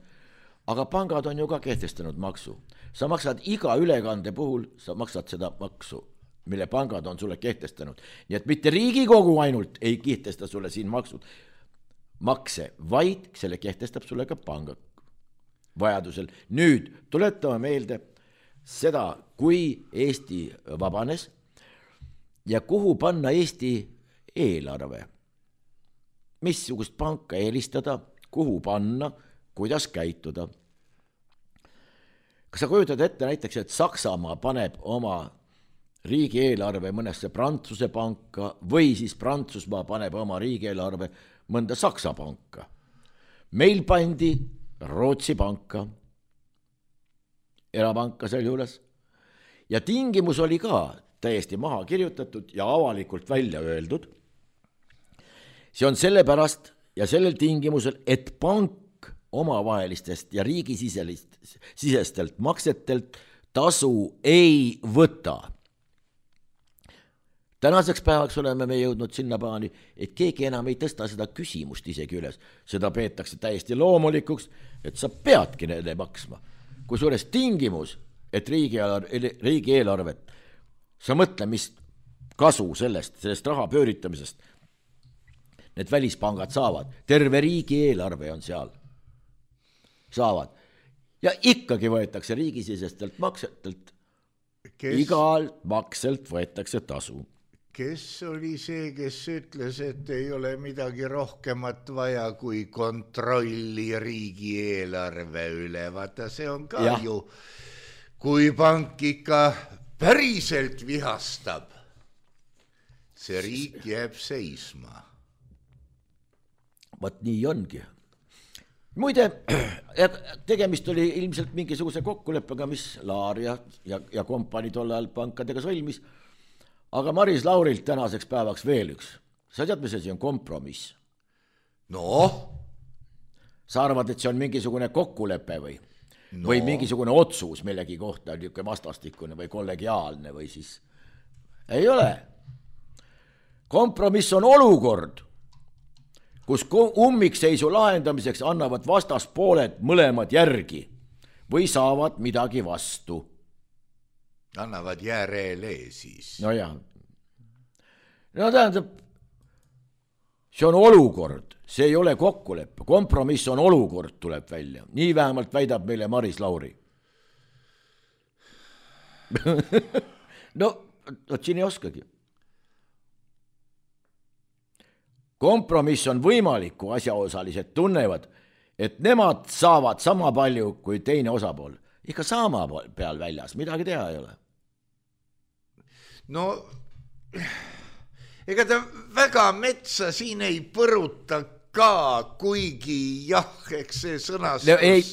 Aga pangad on ju ka kehtestanud maksu. Sa maksad iga ülekande puhul, sa maksad seda maksu, mille pangad on sulle kehtestanud. Nii et mitte Riigikogu ainult ei kehtesta sulle siin makse, vaid selle kehtestab sulle ka pangad vajadusel. Nüüd tuletame meelde seda, kui Eesti vabanes ja kuhu panna Eesti eelarve. Missugust panka eelistada, kuhu panna, kuidas käituda. Kas sa kujutad ette näiteks, et Saksamaa paneb oma riigieelarve mõnesse Prantsuse panka või siis Prantsusmaa paneb oma riigieelarve mõnda Saksa panka? Meil pandi Rootsi panka, erapanka sel juures. Ja tingimus oli ka täiesti maha kirjutatud ja avalikult välja öeldud. See on sellepärast ja sellel tingimusel, et pank omavahelistest ja riigisisestelt maksetelt tasu ei võta. Tänaseks päevaks oleme me jõudnud sinnapaani, et keegi enam ei tõsta seda küsimust isegi üles. Seda peetakse täiesti loomulikuks, et sa peadki neile maksma. Kui suures tingimus, et riigieelarvet, sa mõtle, mis kasu sellest raha pööritamisest need välispangad saavad. Terve riigieelarve on seal. Saavad. Ja ikkagi võetakse riigisisestelt maksetelt. Igal makselt võetakse tasu. Kes oli see, kes ütles, et ei ole midagi rohkemat vaja kui kontrolli riigieelarve üle? Vaata, see on ka ju, kui pank ikka päriselt vihastab, see riik jääb seisma. Vaat nii ongi. Muide, tegemist oli ilmselt mingisuguse kokkuleppega, mis Laar ja kompanii tollal pankadega sõlmis. Aga Maris Laurilt tänaseks päevaks veel üks. Sa tead, mis see on kompromiss? No? Sa arvad, et see on mingisugune kokkulepe või? No. Või mingisugune otsus millegi kohta, niisugune vastastikune või kollegiaalne või siis? Ei ole. Kompromiss on olukord, kus ummikseisu lahendamiseks annavad vastaspooled mõlemad järgi või saavad midagi vastu. Annavad järele siis. No jah. No tähendab, see on olukord, see ei ole kokkulepe. Kompromiss on olukord, tuleb välja. Nii vähemalt väidab meile Maris Lauri. no siin ei oskagi. Kompromiss on võimalik, kui asjaosalised tunnevad, et nemad saavad sama palju kui teine osapool. Ikka sama peal väljas, midagi teha ei ole. No ega ta väga metsa siin ei põruta ka, kuigi jah, eks see sõnastus... No, ei,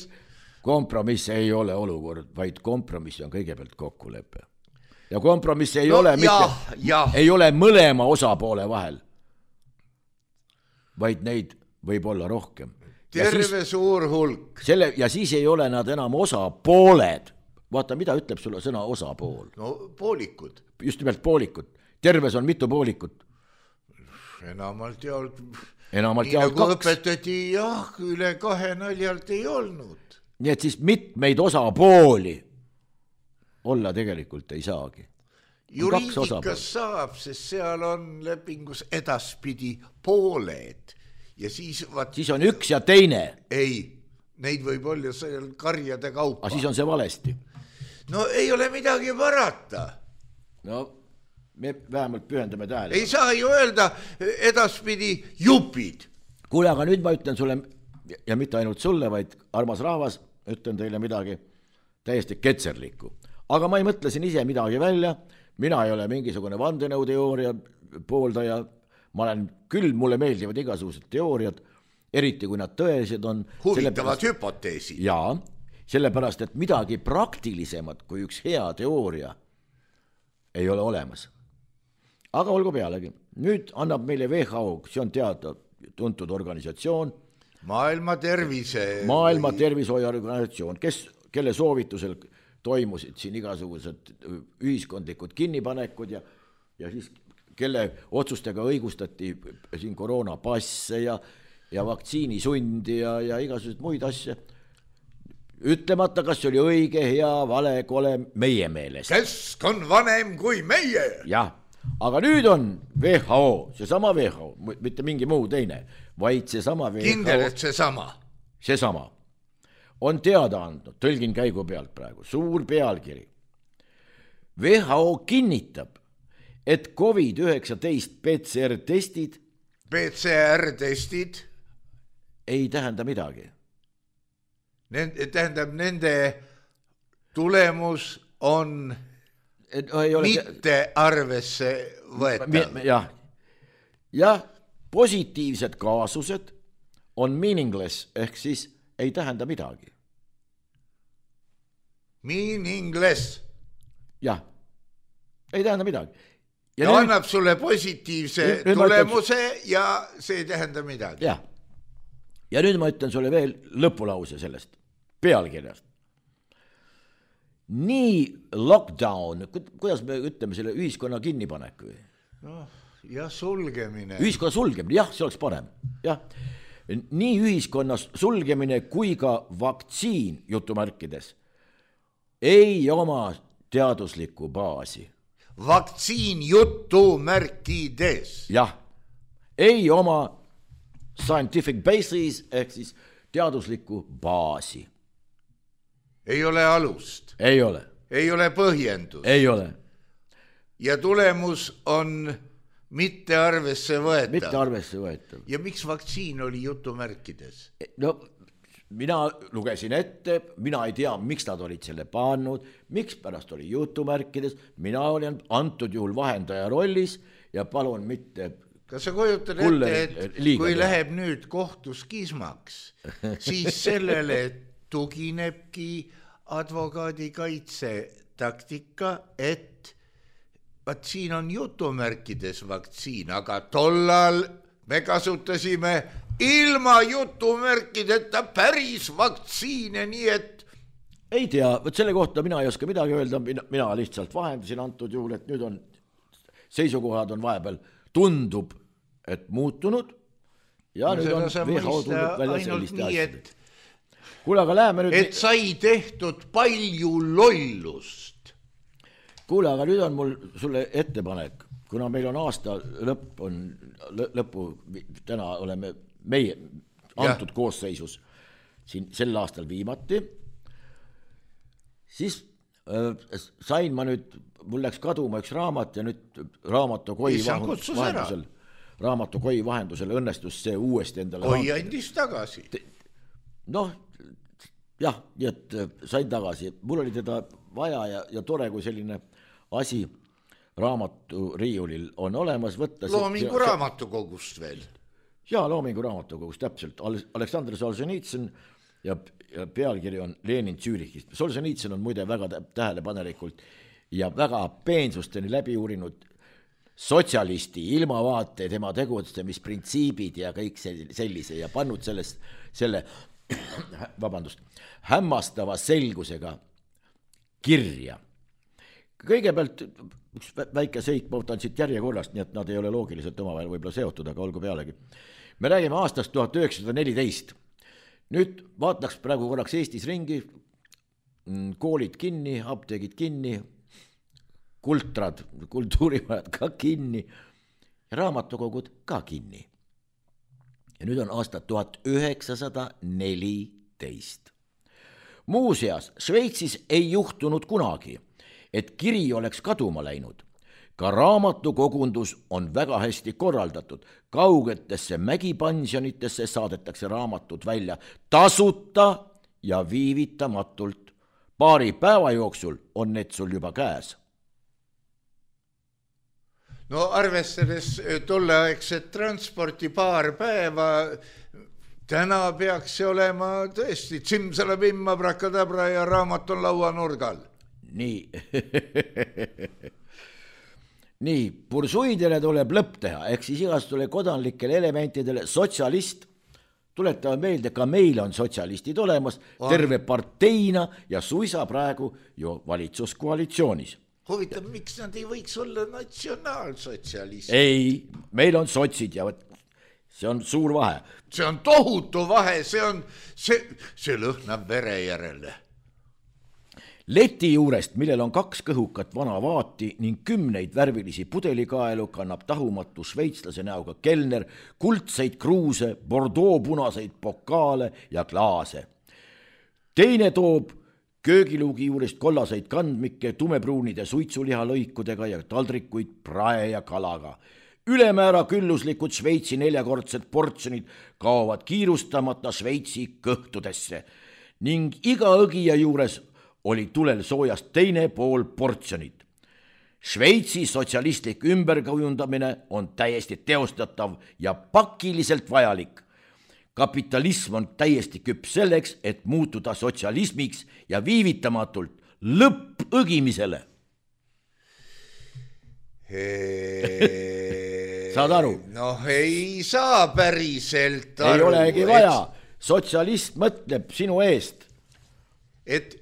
kompromiss ei ole olukord, vaid kompromiss on kõigepealt kokkulepe. Ja kompromiss ei ole ei ole mõlema osapoole vahel, vaid neid võib olla rohkem. Terve suur hulk. Ja siis ei ole nad enam osapooled. Vaata, mida ütleb sulle sõna osapool? No poolikud. Just nimelt poolikud. Terves on mitu poolikut? Enamalt jaolt nii 2. Õpetati, jah, üle 2 naljalt ei olnud. Nii et siis mitmeid osapooli olla tegelikult ei saagi. Juriidikas saab, sest seal on lepingus edaspidi pooled. Ja siis on üks ja teine. Ei, neid võib olla seal karjade kaupa. Aga siis on see valesti. No ei ole midagi parata. No me vähemalt pühendame tähele. Ei saa ju öelda edaspidi jupid. Kuule, aga nüüd ma ütlen sulle, ja mitte ainult sulle, vaid armas rahvas, ütlen teile midagi täiesti ketserlikku. Aga ma ei mõtle siin ise midagi välja, mina ei ole mingisugune vandenõuteooria pooldaja, ma olen küll, mulle meeldivad igasugused teooriad, eriti kui nad tõesed on. Huvitavad hüpoteesid. Jaa, sellepärast, et midagi praktilisemat kui üks hea teooria ei ole olemas. Aga olgu pealegi. Nüüd annab meile WHO, see on tuntud organisatsioon. Maailma tervishoiuorganisatsioon, kelle soovitusel toimusid siin igasugused ühiskondlikud kinnipanekud ja siis kelle otsustega õigustati siin koroonapasse ja vaktsiinisundi ja igasugused muid asja. Ütlemata, kas see oli õige, hea, vale, kole meie meelest. Kesk on vanem kui meie. Jah, aga nüüd on WHO, seesama WHO, mitte mingi muu teine, vaid seesama WHO. Kindel, et seesama. Seesama. On teada andnud, tõlgin käigu pealt praegu, suur pealkiri. WHO kinnitab, et COVID-19 PCR-testid ei tähenda midagi. Tähendab, nende tulemus on mitte arvesse võetav. Ja positiivsed kaasused on meaningless, ehk siis ei tähenda midagi. Meaningless. Jah, ei tähenda midagi. Ja annab sulle positiivse tulemuse ja see ei tähenda midagi. Jah. Ja nüüd ma ütlen sulle veel lõpulause sellest pealkirjast. Nii lockdown, kuidas me ütleme selle ühiskonna kinnipaneku? Ja sulgemine. Ühiskonna sulgemine, jah, see oleks parem. Jah. Nii ühiskonna sulgemine kui ka vaktsiin jutumärkides ei oma teaduslikku baasi. Vaktsiin jutumärkides. Jah, ei oma scientific basis ehk siis teaduslikku baasi. Ei ole alust. Ei ole. Ei ole põhjendus. Ei ole. Ja tulemus on mitte arvesse võetav. Mitte arvesse võetav. Ja miks vaktsiin oli jutumärkides? No, mina lugesin ette, mina ei tea, miks nad olid selle pannud, miks pärast oli jutumärkides, mina olin antud juhul vahendaja rollis ja palun mitte... Kas sa kujutad ette, et kui läheb nüüd kohtus kismaks, siis sellele tuginebki advokaadi kaitse taktika, et vaat siin on jutumärkides vaktsiin, aga tollal me kasutasime ilma jutumärkideta päris vaktsiine, nii et... Ei tea, võt selle kohta mina ei oska midagi öelda, mina lihtsalt vahendasin antud juhul, et nüüd on seisukohad on vahepeal tundub, et muutunud ja nüüd on WHO tulnud välja selliste asjadest. Kuule, aga läheme nüüd... Et sai tehtud palju lollust. Kuule, aga nüüd on mul sulle ettepanek, kuna meil on aasta lõppu, täna oleme meie antud koosseisus siin sel aastal viimati, siis sain ma nüüd, mul läks kaduma üks raamat ja nüüd raamatukoi vahendusel õnnestus see uuesti endale Koi andis tagasi. Noh, jah, nii et sain tagasi. Mul oli teda vaja ja tore, kui selline asi raamatu riiulil on olemas võtta. Loomingu raamatukogust veel. Jaa, Loomingu raamatukogust, täpselt. Aleksandr Solženitsõn ja pealkiri on Lenin Zürichist. Solženitsõn on muide väga tähelepanelikult ja väga peensusteni läbi uurinud sotsialisti ilmavaate, tema tegutsemisprintsiibid ja kõik sellise ja pannud selle hämmastava selgusega kirja. Kõigepealt üks väike seik, ma võtan siit järjekorrast, nii et nad ei ole loogiliselt omavahel võib-olla seotud, aga olgu pealegi. Me räägime aastast 1914. Nüüd vaataks praegu korraks Eestis ringi, koolid kinni, apteegid kinni, kultrad, kultuurimajad ka kinni ja raamatukogud ka kinni. Ja nüüd on aasta 1914. Muuseas, Šveitsis ei juhtunud kunagi, et kiri oleks kaduma läinud. Ka raamatukogundus on väga hästi korraldatud. Kaugetesse mägipansionitesse saadetakse raamatud välja tasuta ja viivitamatult. Paari päeva jooksul on need sul juba käes. No arvestades tolleaegset transporti paar päeva, täna peaks see olema tõesti tsimsalabimma, brakadabra ja raamat on lauanurgal. Nii. Nii, pursuidele tuleb lõpp teha, ehk siis igastule kodanlikele elementidele sotsialist. Tuletame meelde, ka meil on sotsialistid olemas terve parteina ja suisa praegu ju valitsuskoalitsioonis. Huvitav, miks nad ei võiks olla natsionaalsotsialist? Ei, meil on sotsid ja see on suur vahe. See on tohutu vahe, see lõhnab vere järele. Leti juurest, millel on 2 kõhukat vana vaati ning 10 värvilisi pudelikaelu, kannab tahumatu šveitslase näoga kelner kuldseid kruuse, Bordeaux punaseid pokaale ja klaase. Teine toob köögiluugi juurest kollaseid kandmikke tumepruunide suitsulihalõikudega ja taldrikuid prae ja kalaga. Ülemäära külluslikud Šveitsi 4-kordsed portsjonid kaovad kiirustamata Šveitsi kõhtudesse ning iga õgija juures oli tulel soojast teine pool portsjonit. Šveitsi sotsialistlik ümberkujundamine on täiesti teostatav ja pakiliselt vajalik. Kapitalism on täiesti küps selleks, et muutuda sotsialismiks ja viivitamatult lõpp õgimisele. Saad aru? Noh, ei saa päriselt aru. Ei olegi vaja. Sotsialist mõtleb sinu eest. Et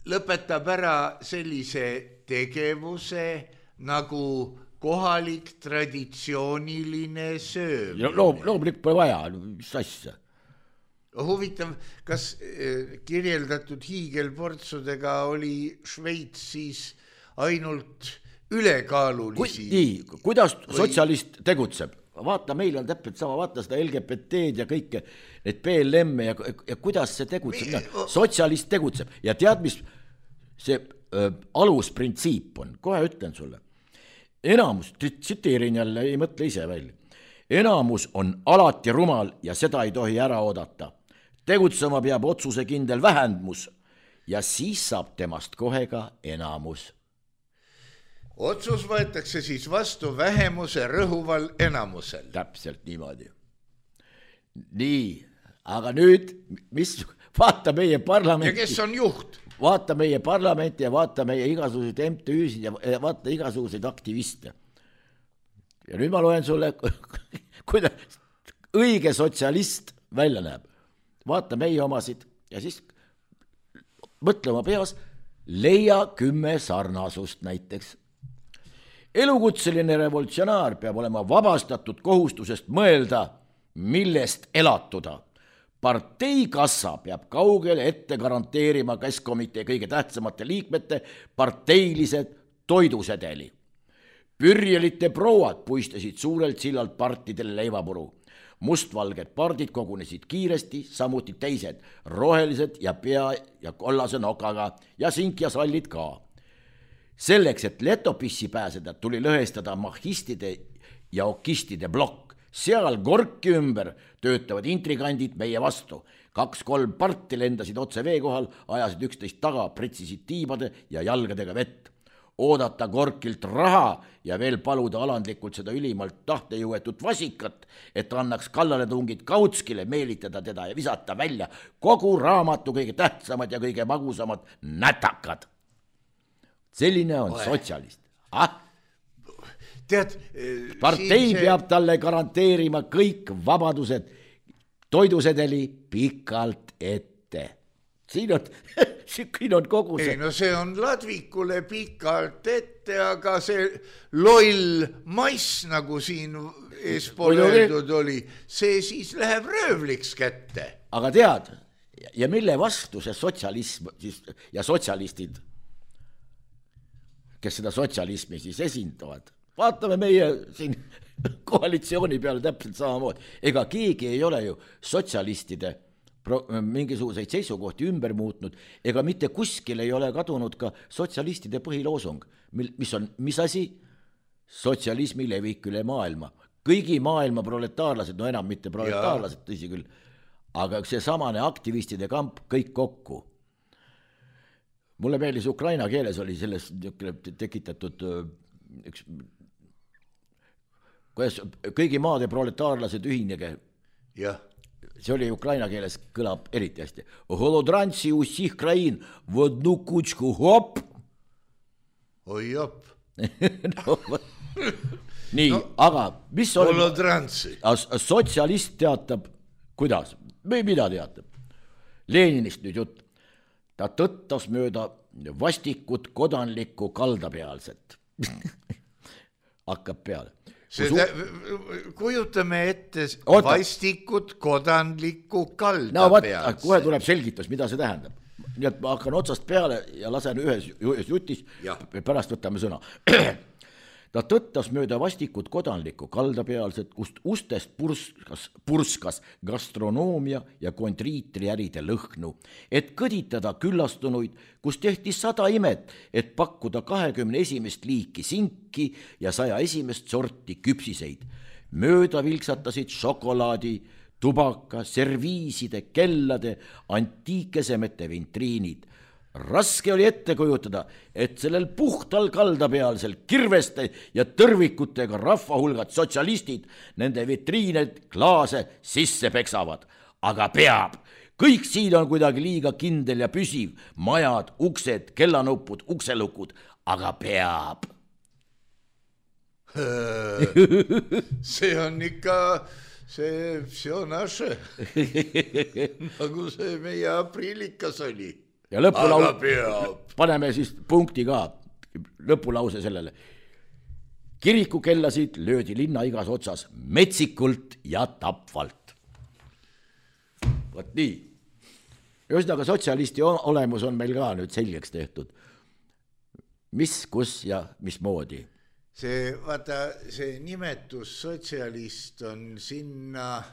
lõpetab ära sellise tegevuse nagu kohalik traditsiooniline söömine. Loomulik pole vaja, mis asja. Huvitav, kas kirjeldatud hiigelportsudega oli Šveitsis ainult ülekaalulisi? Nii, kuidas sotsialist tegutseb? Vaata, meil on täpselt sama, vaata seda LGBT-d ja kõike, need PLM ja kuidas see tegutseb. Sotsialist tegutseb ja tead, mis see alusprintsiip on, kohe ütlen sulle. Enamus, tsiteerin jälle, ei mõtle ise välja. Enamus on alati rumal ja seda ei tohi ära oodata. Tegutsema peab otsusekindel vähendmus ja siis saab temast kohe ka enamus. Otsus võetakse siis vastu vähemuse rõhuval enamusel. Täpselt niimoodi. Nii, aga nüüd, vaata meie parlamenti. Ja kes on juht? Vaata meie parlamenti ja vaata meie igasuguseid MTÜ-sid ja vaata igasuguseid aktiviste. Ja nüüd ma loen sulle, kuidas õige sotsialist välja näeb. Vaata meie omasid ja siis mõtlema peas, leia 10 sarnasust näiteks. Elukutseline revolutsionaar peab olema vabastatud kohustusest mõelda, millest elatuda. Parteikassa peab kaugele ette garanteerima Keskkomitee kõige tähtsamate liikmete parteilised toidusedeli. Pürjelite prouad puistasid suurelt sillalt partidele leivapuru. Mustvalged pardid kogunesid kiiresti, samuti teised, rohelised ja pea ja kollase nokaga ja sink ja sallid ka. Selleks, et letopissi pääseda, tuli lõhestada mahhistide ja okistide blokk. Seal korki ümber töötavad intrigandid meie vastu. 2-3 parti lendasid otse vee kohal, ajasid üksteist taga, pritsisid tiibade ja jalgadega vett. Oodata korkilt raha ja veel paluda alandlikult seda ülimalt tahtejõuetut vasikat, et annaks kallaletungid Kautskile, meelitada teda ja visata välja kogu raamatu kõige tähtsamad ja kõige magusamad nätakad. Selline on sotsialist. Tead, partei peab talle garanteerima kõik vabadused, toidusedeli pikalt ette. Siin on kogu see. Ei, no see on Ladvikule pikalt ette, aga see loll mass, nagu siin eespool öeldud oli, see siis läheb röövliks kätte. Aga tead, ja mille vastu see sotsialism ja sotsialistid, kes seda sotsialismi siis esindavad, vaatame meie siin koalitsiooni peale täpselt samamoodi. Ega keegi ei ole ju sotsialistide mingisuguseid seisukohti ümber muutnud, ega mitte kuskil ei ole kadunud ka sotsialistide põhiloosung, mis asi? Sotsialismi levik üle maailma. Kõigi maailma proletaarlased, no enam mitte proletaarlased, tõsi küll, aga see samane aktivistide kamp kõik kokku. Mulle meeldis ukraina keeles oli selles tekitatud üks, kõigi maade proletaarlased ühinege. Jah. See oli ukraina keeles, kõlab eriti hästi. Holodranci usih krain, vodnu kutsku hop. Oi jop. Nii, no, aga mis on... Holodranci. Sotsialist teatab, kuidas? Mida teatab? Leninist nüüd jutt. Ta tõttas mööda vastikut kodanlikku kaldapealset. Hakkab peale. Kujutame ette vastikut kodanlikku kaldapealset. No kohe tuleb selgitus, mida see tähendab. Nii et ma hakkan otsast peale ja lasen ühes jutis, pärast võtame sõna. Ta tõttas mööda vastikut kodanlikku kaldapealset, kust ustest purskas gastronoomia ja kontriitriäride lõhnu, et kõditada küllastunuid, kus tehti 100 imet, et pakkuda 21. liiki sinki ja 101. sorti küpsiseid. Mööda vilksatasid šokolaadi, tubaka, serviiside, kellade, antiikesemete vintriinid. Raske oli ette kujutada, et sellel puhtal kaldapealsel kirveste ja tõrvikutega rahvahulgad sotsialistid nende vitriined klaase sisse peksavad. Aga peab. Kõik siin on kuidagi liiga kindel ja püsiv. Majad, uksed, kellanupud, ukselukud. Aga peab. See on ikka... See on ashe. Nagu see meie aprillikas oli. Ja paneme siis punkti ka, lõpulause sellele. Kirikukellasid löödi linna igas otsas metsikult ja tapvalt. Võt nii. Ühesõnaga sotsialisti olemus on meil ka nüüd selgeks tehtud. Mis, kus ja mismoodi? Vaata, see nimetus sotsialist on sinna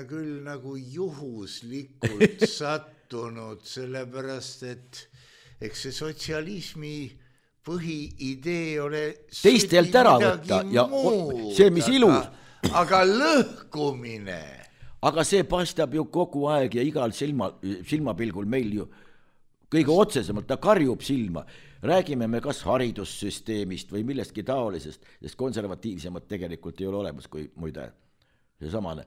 küll nagu juhuslikult sattunud, sellepärast, et eks see sotsialismi põhiidee ole teistelt ära võtta ja see, mis ilus. Aga lõhkumine. Aga see paistab ju kogu aeg ja igal silmapilgul meil ju kõige otsesemalt, ta karjub silma. Räägime me kas haridussüsteemist või millestki taolisest, sest konservatiivsemad tegelikult ei ole olemas kui muide see samane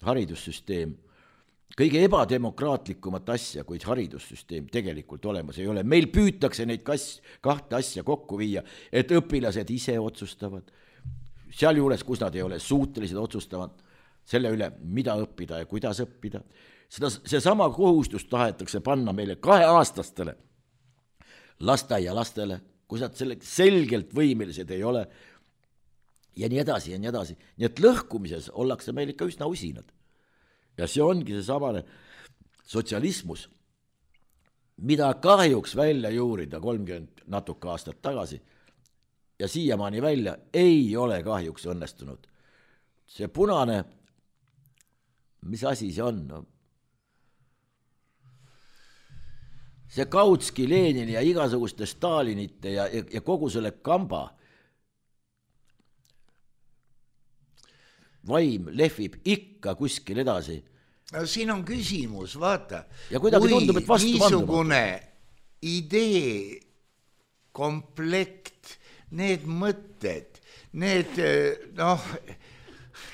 haridussüsteem. Kõige ebademokraatlikumat asja, kuid haridussüsteem tegelikult olemas ei ole. Meil püütakse neid kahte asja kokku viia, et õpilased ise otsustavad. Sealjuures, kus nad ei ole suutelised otsustavad selle üle, mida õppida ja kuidas õppida. See sama kohustus tahetakse panna meile 2-aastastele lasteaialastele, kus nad selgelt võimelised ei ole ja nii edasi ja nii edasi. Nii et lõhkumises ollakse meil ikka üsna usinad. Ja see ongi see samane sotsialismus, mida kahjuks välja juurida 30 natuke aastat tagasi ja siiamaani välja ei ole kahjuks õnnestunud. see punane, mis asi see on? No? See Kautski, Lenini ja igasuguste Stalinite ja kogu selle kamba vaim lehvib ikka kuskil edasi. No siin on küsimus, vaata, ja kui tundub, et niisugune idee, komplekt, need mõtted, need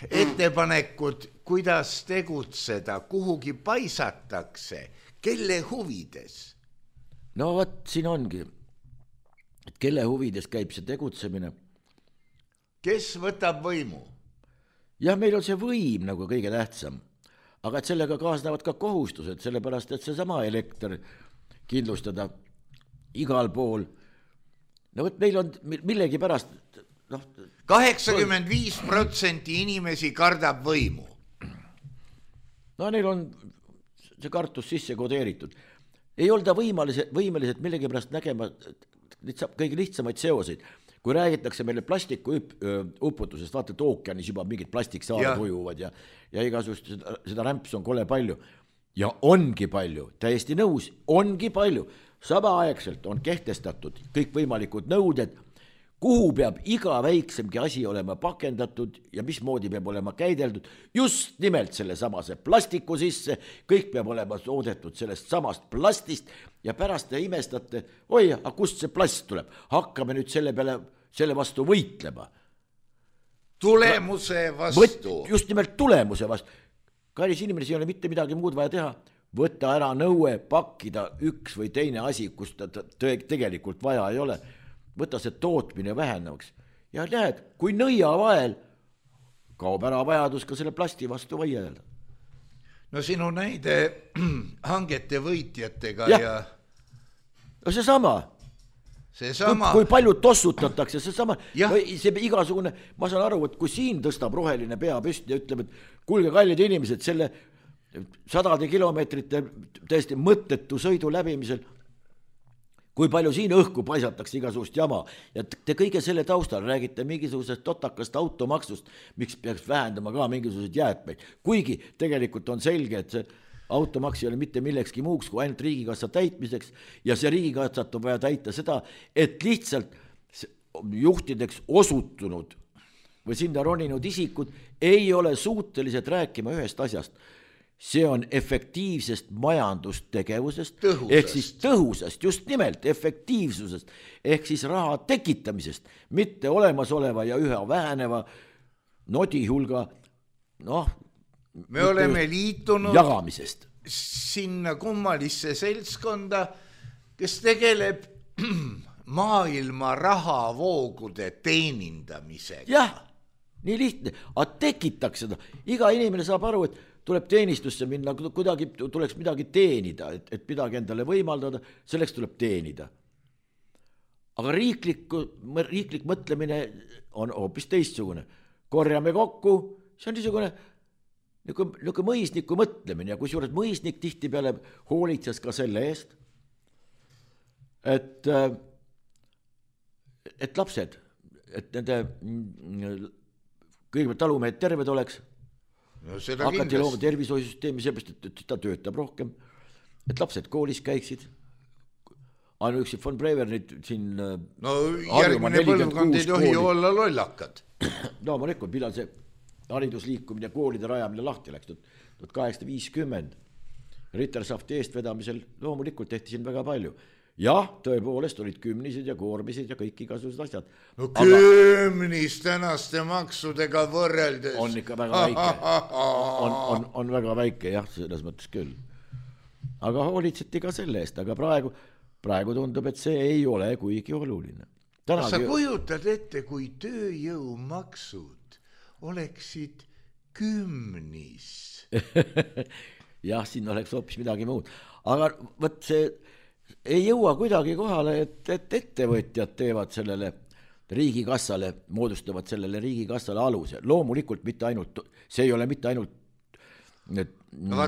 ettepanekud, kuidas tegutseda, kuhugi paisatakse, kelle huvides? No vot, siin ongi, et kelle huvides käib see tegutsemine. Kes võtab võimu? Jah, meil on see võim nagu kõige tähtsam, aga et sellega kaasnevad ka kohustused, sellepärast, et see sama elekter kindlustada igal pool. No võt, meil on millegi pärast... 85% inimesi kardab võimu. No neil on see kartus sisse kodeeritud. Ei olda võimelised millegi pärast nägema kõige lihtsamaid seoseid. Kui räägitakse meile plastiku uputusest, vaata, et ookeanis juba mingid plastiksaared ujuvad ja igasugust seda rämpsu on kole palju. Ja ongi palju, täiesti nõus, ongi palju. Samaaegselt on kehtestatud kõik võimalikud nõuded, kuhu peab iga väiksemgi asi olema pakendatud ja mismoodi peab olema käideldud, just nimelt selle samase plastiku sisse, kõik peab olema toodetud sellest samast plastist ja pärast te imestate, oi, aga kust see plast tuleb? Hakkame nüüd selle vastu võitlema. Tulemuse vastu. Just nimelt tulemuse vastu. Kallis inimene, ei ole mitte midagi muud vaja teha. Võtta ära nõue, pakkida üks või teine asi, kus ta tegelikult vaja ei ole. Võta see tootmine vähenevaks. Ja näed, kui nõia vael, kaob ära vajadus ka selle plasti vastu vaielda. No sinu näide hangete võitjatega ja... No seesama. Kui palju tossutatakse, seesama. See igasugune, ma saan aru, et kui siin tõstab roheline pea püsti ja ütleb, et kuulge kallid inimesed, selle 100 kilomeetrite täiesti mõttetu sõidu läbimisel, kui palju siin õhku paisatakse igasugust jama ja te kõige selle taustal räägite mingisugusest totakast automaksust, miks peaks vähendama ka mingisuguseid jäätmeid. Kuigi tegelikult on selge, et see automaks ei ole mitte millekski muuks kui ainult riigikassa täitmiseks ja see riigikassat on vaja täita seda, et lihtsalt juhtideks osutunud või sinna roninud isikud ei ole suutelised rääkima ühest asjast. See on efektiivsest majandustegevusest, ehk siis tõhusast, just nimelt efektiivsusest, ehk siis raha tekitamisest, mitte olemasoleva ja üha väheneva nodihulga, me oleme liitunud jagamisest. Sinna kummalisse seltskonda, kes tegeleb maailma rahavoogude teenindamisega. Jah, nii lihtne, aga tekitaks seda. Iga inimene saab aru, et tuleb teenistusse minna, kuidagi tuleks midagi teenida, et midagi endale võimaldada, selleks tuleb teenida. Aga riiklik mõtlemine on hoopis teistsugune. Korjame kokku, see on niisugune mõisniku mõtlemine ja kui suures mõisnik tihti peale hoolitses ka selle eest, et lapsed, et nende kõigepealt talumehed terved oleks, hakati looma tervishoiusüsteemi seepärast, et ta töötab rohkem, et lapsed koolis käiksid. Ainuüksi von Brevernit siin... No järgmine põlvkond ei tohi olla lollakad. No ma nekkun, millal see haridusliikumine ja koolide rajamine lahti läks, 1850. Rittersafti eestvedamisel loomulikult tehti siin väga palju. Jah, tõepoolest olid kümnised ja koormised ja kõik igasugused asjad. No kümnis tänaste maksudega võrreldes. On ikka väga väike. On väga väike, jah, selles mõttes küll. Aga hoolitseti ka selle eest, aga praegu tundub, et see ei ole kuigi oluline. Sa kujutad ette, kui tööjõumaksud oleksid kümnis. Jah, siin oleks hoopis midagi muud. Aga võt see... ei jõua kuidagi kohale, et ettevõtjad teevad sellele riigikassale, moodustavad sellele riigikassale aluse. Loomulikult mitte ainult, see ei ole mitte ainult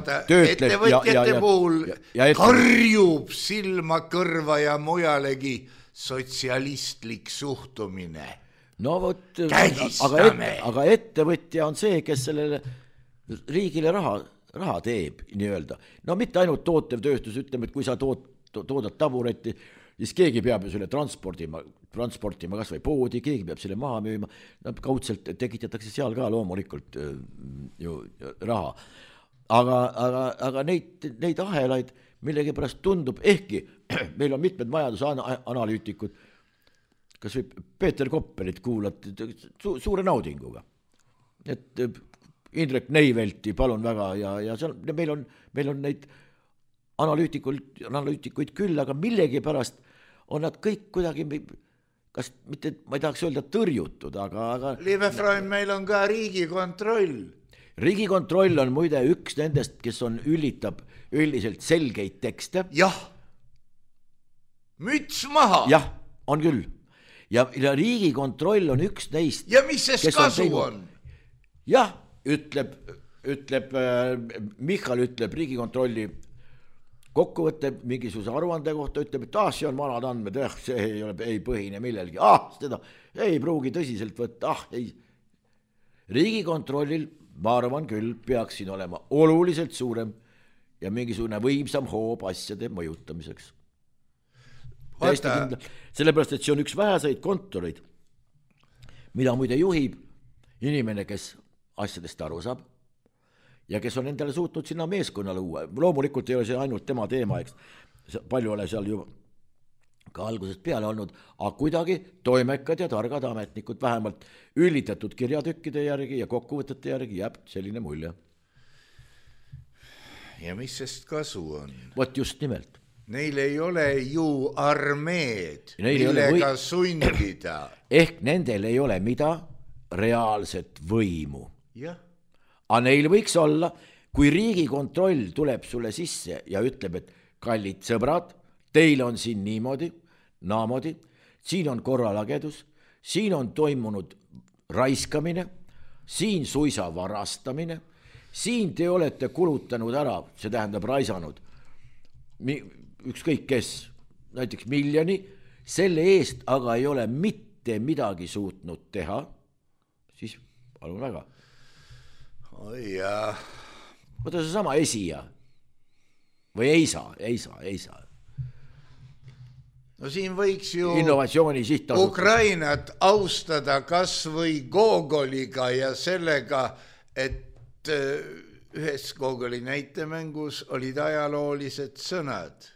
ettevõtjate puhul karjub silma, kõrva ja mujalegi sotsialistlik suhtumine. no vot, kägistame. aga ettevõtja on see, kes sellele riigile raha teeb nii-öelda. No mitte ainult tootev tööstus, ütleme, et kui sa toodad tabureti, siis keegi peab ju selle transportima kas või poodi, keegi peab selle maha müüma, kaudselt tekitatakse seal ka loomulikult ju raha. Aga neid ahelaid millegipärast tundub, ehkki meil on mitmed majandusanalüütikud, kas või Peeter Koppelit kuulati suure naudinguga. Et Indrek Neivelti palun väga ja seal, meil on neid analüütikuid küll, aga millegipärast on nad kõik kuidagi, kas mitte, ma ei tahaks öelda tõrjutud, aga Liivefrain, meil on ka Riigikontroll. Riigikontroll on muide üks nendest, kes ülitab üldiselt selgeid tekste. Jah, müts maha. Jah, on küll. Ja Riigikontroll on üks neist. Ja mis see kasu on? Jah, ütleb Michal ütleb Riigikontrolli kokkuvõtte mingisuguse aruande kohta, ütleb, et see on vanad andmed, see ei põhine millelgi. Seda ei pruugi tõsiselt võtta. Ei. Riigikontrollil, ma arvan küll, peaks siin olema oluliselt suurem ja mingisugune võimsam hoob asjade mõjutamiseks. Sellepärast, et see on üks väheseid kontoreid, mida muide juhib inimene, kes asjadest aru saab ja kes on endale suutnud sinna meeskonna luua. Loomulikult ei ole see ainult tema teema, eks. Palju ole seal juba ka algusest peale olnud, aga kuidagi toimekad ja targad ametnikud, vähemalt üllitatud kirjatükkide järgi ja kokkuvõtete järgi jääb selline mulje. Ja mis sest kasu on? Vot just nimelt. Neil ei ole ju armeed, millega sundida. Ehk nendel ei ole mida reaalset võimu. Jah. Aga neil võiks olla, kui Riigikontroll tuleb sulle sisse ja ütleb, et kallid sõbrad, teil on siin niimoodi, naamoodi, siin on korralagedus, siin on toimunud raiskamine, siin suisa varastamine, siin te olete kulutanud ära, see tähendab raisanud, ükskõik kes, näiteks 1 miljoni, selle eest aga ei ole mitte midagi suutnud teha, siis palun väga. Oi jah. Võta see sama esija või ei saa. No siin võiks ju innovatsiooni sihtasutus Ukrainat austada kas või Gogoliga ja sellega, et ühes Gogoli näitemängus olid ajaloolised sõnad.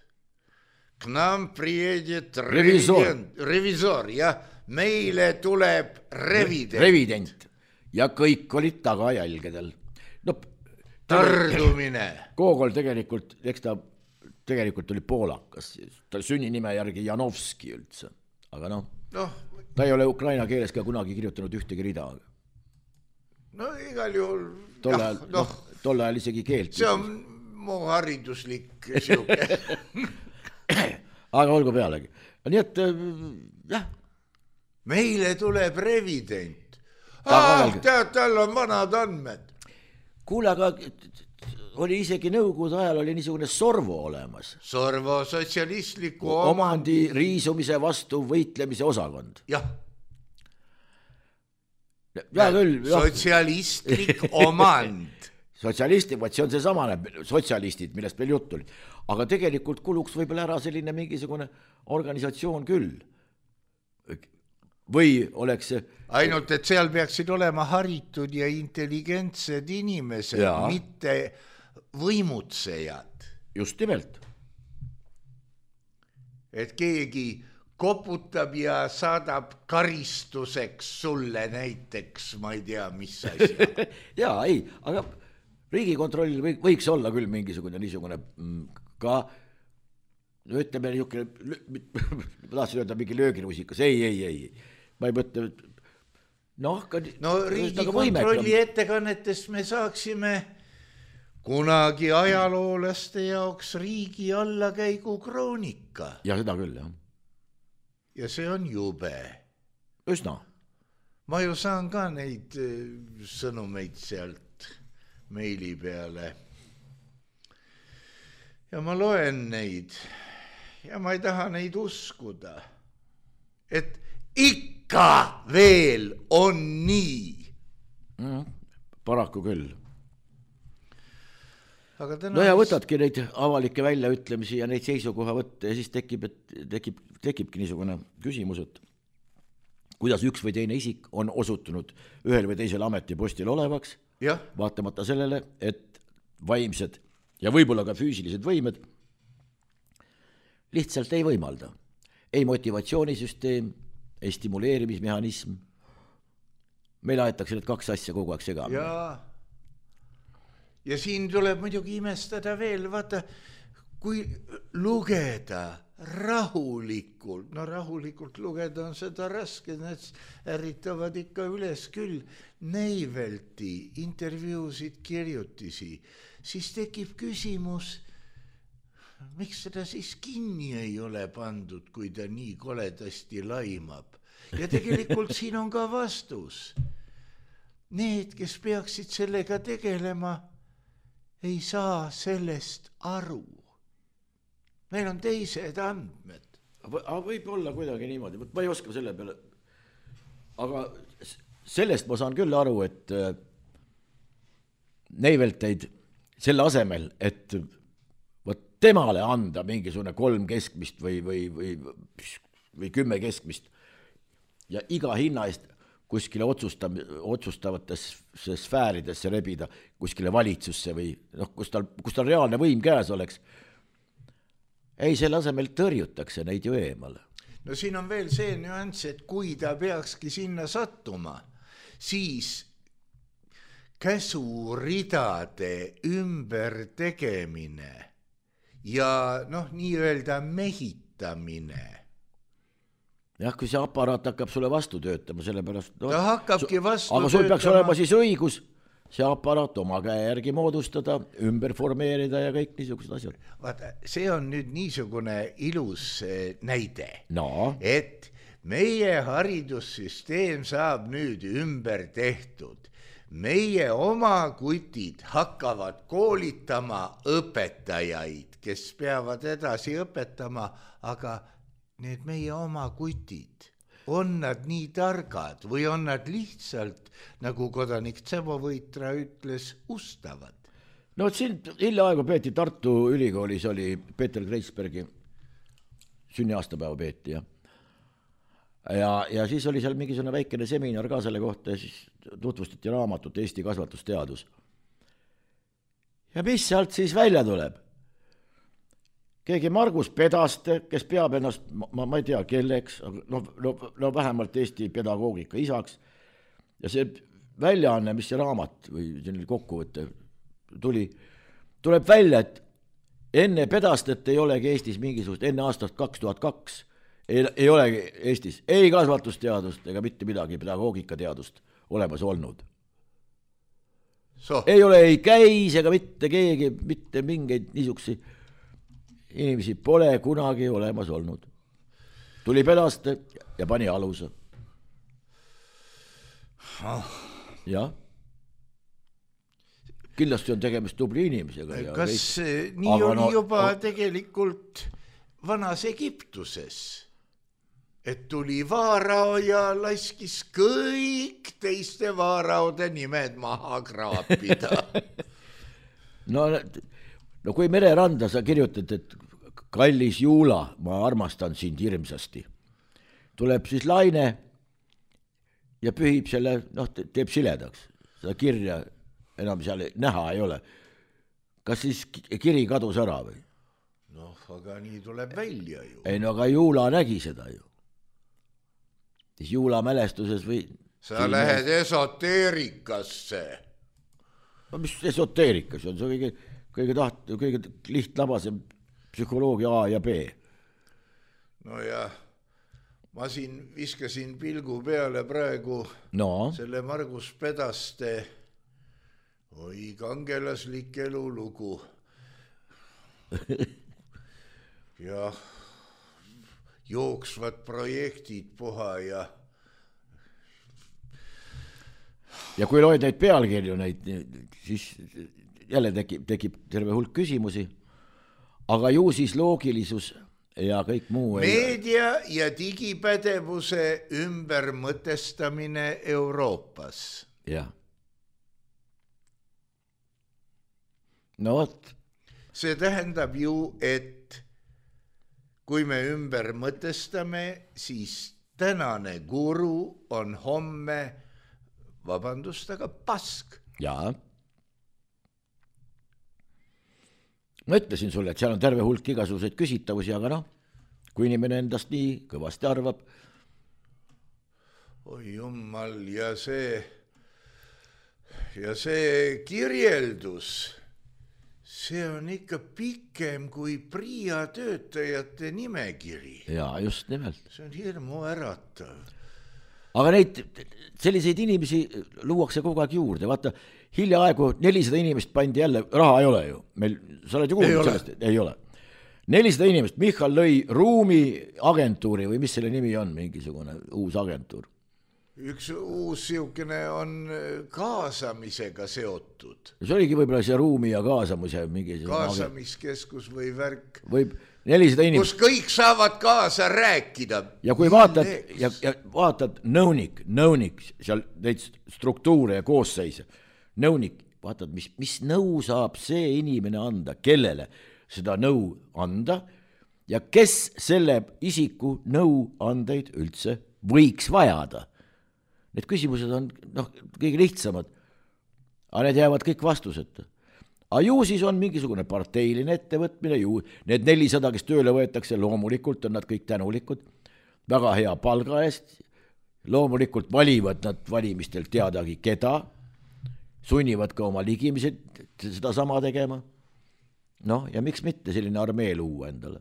K nam priedjet revizor, jah, meile tuleb revident. Ja kõik olid tagajälgedel. No, tardumine. Gogol tegelikult, eks ta tegelikult oli poolakas, ta sünninime järgi Janovski üldse, aga ta ei ole ukraina keeles ka kunagi kirjutanud ühtegi rida. No igal juhul tol ajal isegi keelt. See on mu hariduslik siuke. Aga olgu pealegi. Nii et jah. Meile tuleb revident. Tead, tal on vanad andmed. Kuule, aga oli isegi nõukogude ajal oli niisugune Sorvo olemas. Sorvo sotsialistliku omandi riisumise vastu võitlemise osakond. Jah. Ja küll. Sotsialistlik omand. Sotsialistid, see on see samane sotsialistid, millest meil jutt oli. Aga tegelikult kuluks võib-olla ära selline mingisugune organisatsioon küll. Või oleks see ainult, et seal peaksid olema haritud ja intelligentsed inimesed, mitte võimutsejad. Just nimelt. Et keegi koputab ja saadab karistuseks sulle näiteks, ma ei tea, mis asi. Jaa, ei, aga Riigikontrollil võiks olla küll niisugune ka ütleme niisugune, ma tahtsin öelda mingi lööginusikas, ei. Ma ei mõtle, Riigikontrolli ettekannetest me saaksime kunagi ajaloolaste jaoks riigi allakäigu kroonika. Ja seda küll, jah. Ja see on jube. Üsna. Ma ju saan ka neid sõnumeid sealt meili peale. Ja ma loen neid ja ma ei taha neid uskuda, et ikka ikka veel on nii. Paraku küll. Aga no ja võtadki neid avalikke väljaütlemisi ja neid seisukoha võtta ja siis tekibki niisugune küsimus, et kuidas üks või teine isik on osutunud ühel või teisel ametipostil olevaks, vaatamata sellele, et vaimsed ja võib-olla ka füüsilised võimed lihtsalt ei võimalda. Ei motivatsioonisüsteem, ei stimuleerimismehhanism. Meil aetakse need kaks asja kogu aeg segamini. Ja siin tuleb muidugi imestada veel, vaata, kui lugeda rahulikult, no rahulikult lugeda on seda raske, need ärritavad ikka üles küll, Neivelti intervjuusid, kirjutisi, siis tekib küsimus, miks seda siis kinni ei ole pandud, kui ta nii koledasti laimab. Ja tegelikult siin on ka vastus. Need, kes peaksid sellega tegelema, ei saa sellest aru. Meil on teised andmed. Aga võib olla kuidagi niimoodi, ma ei oska selle peale, aga sellest ma saan küll aru, et Neivelteid selle asemel, et temale anda mingisugune 3 keskmist või 10 keskmist ja iga hinna eest kuskile otsustavatesse sfääridesse rebida, kuskile valitsusse või kus tal reaalne võim käes oleks. Ei, selle asemel tõrjutakse neid ju eemale. No siin on veel see nüanss, et kui ta peakski sinna sattuma, siis käsuridade ümber tegemine ja nii-öelda mehitamine. Jah, kui see aparaat hakkab sulle vastu töötama, sellepärast... Ta hakkabki vastu töötama. Aga sul peaks olema siis õigus see aparaat oma käe järgi moodustada, ümber formeerida ja kõik niisugused asjad. Vaata, see on nüüd niisugune ilus näide, et meie haridussüsteem saab nüüd ümber tehtud. Meie oma kutid hakkavad koolitama õpetajaid, kes peavad edasi õpetama, aga need meie oma kutid, on nad nii targad või on nad lihtsalt, nagu kodanik Tsebovõitra ütles, ustavad? No siin hiljaaegu peeti Tartu Ülikoolis oli Peeter Kreisbergi sünniaastapäeva peeti ja siis oli seal mingisugune väikene seminar ka selle kohta ja siis tutvustati raamatut Eesti kasvatusteadus. Ja mis sealt siis välja tuleb? Keegi Margus Pedaste, kes peab ennast, ma ei tea, kelleks, no vähemalt Eesti pedagoogika isaks. Ja see väljaanne, mis see raamat või selline kokkuvõte tuleb välja, et enne Pedastet ei olegi Eestis mingisugust, enne aastast 2002 ei olegi Eestis ei kasvatusteadust ega mitte midagi pedagoogikateadust olemas olnud. Ei ole ei käis ega mitte keegi, mitte mingeid niisugusi inimesi pole kunagi olemas olnud. Tuli Pedaste ja pani aluse. Jah. Kindlasti on tegemist tubli inimesega. Kas nii oli juba tegelikult vanas Egiptuses? Et tuli vaarao ja laskis kõik teiste vaaraode nimed maha kraapida. No kui mereranda sa kirjutad, et kallis Juula, ma armastan sind hirmsasti. Tuleb siis laine ja pühib selle, teeb siledaks. Seda kirja enam seal näha ei ole. Kas siis kiri kadus ära või? Aga nii tuleb välja ju. Ei, aga Juula nägi seda ju. Siis Juula mälestuses või... Sa lähed esoteerikasse. No mis esoteerikas on? See kõige lihtlabasem psühholoogia A ja B. No ja ma siin viskasin pilgu peale praegu selle Margus Pedaste kangelaslik elulugu. Ja jooksvad projektid puha ja kui loed neid pealkirju, siis jälle tekib terve hulk küsimusi, aga ju siis loogilisus ja kõik muu. Meedia ja digipädevuse ümbermõtestamine Euroopas. Jah. No vot. See tähendab ju, et kui me ümber mõtestame, siis tänane guru on homme, vabandust, aga pask. Jaa. Ma ütlesin sulle, et seal on terve hulk igasuguseid küsitavusi, aga noh, kui inimene endast nii kõvasti arvab. Oi jummal, ja see kirjeldus, see on ikka pikem kui PRIA töötajate nimekiri. Jaa, just nimelt. See on hirmu äratav. Aga neid, selliseid inimesi luuakse kogu aeg juurde. Vaata, hiljaaegu 400 inimest pandi jälle, raha ei ole ju. Meil, sa oled ju kuulnud sellest? Ei ole. 400 inimest, Michal lõi ruumiagentuuri või mis selle nimi on, mingisugune uus agentuur. Üks uus siukene on kaasamisega seotud. See oligi võib-olla see ruumi ja kaasamise kaasamiskeskus või värk. Võib 400 inimest. Kus kõik saavad kaasa rääkida. Ja kui vaatad, ja vaatad nõunik, seal neid struktuure ja koosseise. Nõunik, vaatad, mis nõu saab see inimene anda, kellele seda nõu anda ja kes selle isiku nõu andeid üldse võiks vajada. Need küsimused on kõige lihtsamad, aga need jäävad kõik vastuseta. Aga ju siis on mingisugune parteiline ettevõtmine, ju need 400, kes tööle võetakse, loomulikult on nad kõik tänulikud, väga hea palga eest, loomulikult valivad nad valimistel teadagi keda, sunnivad ka oma ligimised seda sama tegema. Noh, ja miks mitte selline armee luua endale?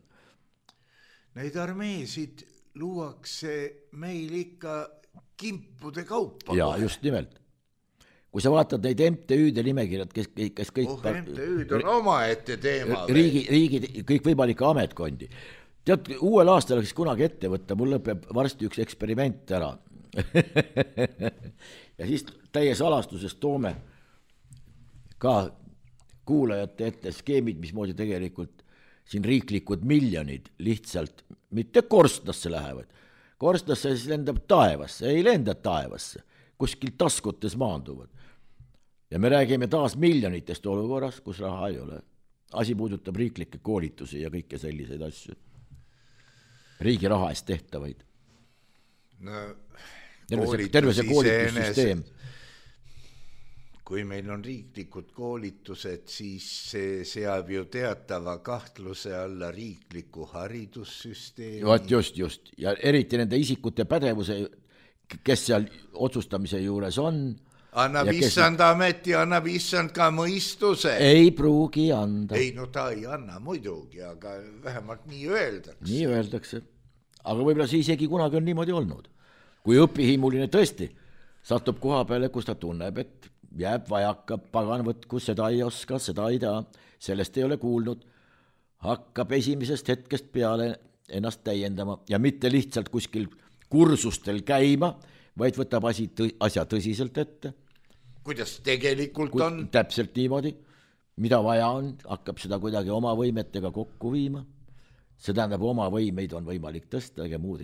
Neid armeesid luuakse meil ikka kimpude kaupa. Jaa, just nimelt. Kui sa vaatad neid MTÜ-de nimekirjad, kes kõik... MTÜ-d on oma ette teema. Riigid, kõik võimalike ametkondi. Tead, uuel aastal oleks kunagi ette võtta, mul lõpeb varsti üks eksperiment ära. Ja siis täie salastuses toome ka kuulajate ette skeemid, mismoodi tegelikult siin riiklikud miljonid lihtsalt mitte korstnasse lähevad. Korstnasse siis lendab taevasse, ei lenda taevasse, kuskil taskutes maanduvad. Ja me räägime taas miljonitest olukorras, kus raha ei ole. Asi puudutab riiklikke koolitusi ja kõike selliseid asju. Riigi raha eest tehtavaid. No, terve see koolitussüsteem. Kui meil on riiklikud koolitused, siis see seab ju teatava kahtluse alla riikliku haridussüsteemi. Just. Ja eriti nende isikute pädevuse, kes seal otsustamise juures on. Annab issand ameti, annab issand ka mõistuse. Ei pruugi anda. Ei, no ta ei anna muidugi, aga vähemalt nii öeldakse. Nii öeldakse. Aga võib-olla see isegi kunagi on niimoodi olnud. Kui õpihimuline tõesti satub koha peale, kus ta tunneb, et jääb vajaka, pagan võtku, seda ei oska, seda ei tea, sellest ei ole kuulnud, hakkab esimesest hetkest peale ennast täiendama ja mitte lihtsalt kuskil kursustel käima, vaid võtab asja tõsiselt ette. Kuidas tegelikult on? Täpselt niimoodi, mida vaja on, hakkab seda kuidagi oma võimetega kokku viima. See tähendab, oma võimeid on võimalik tõsta, aga muud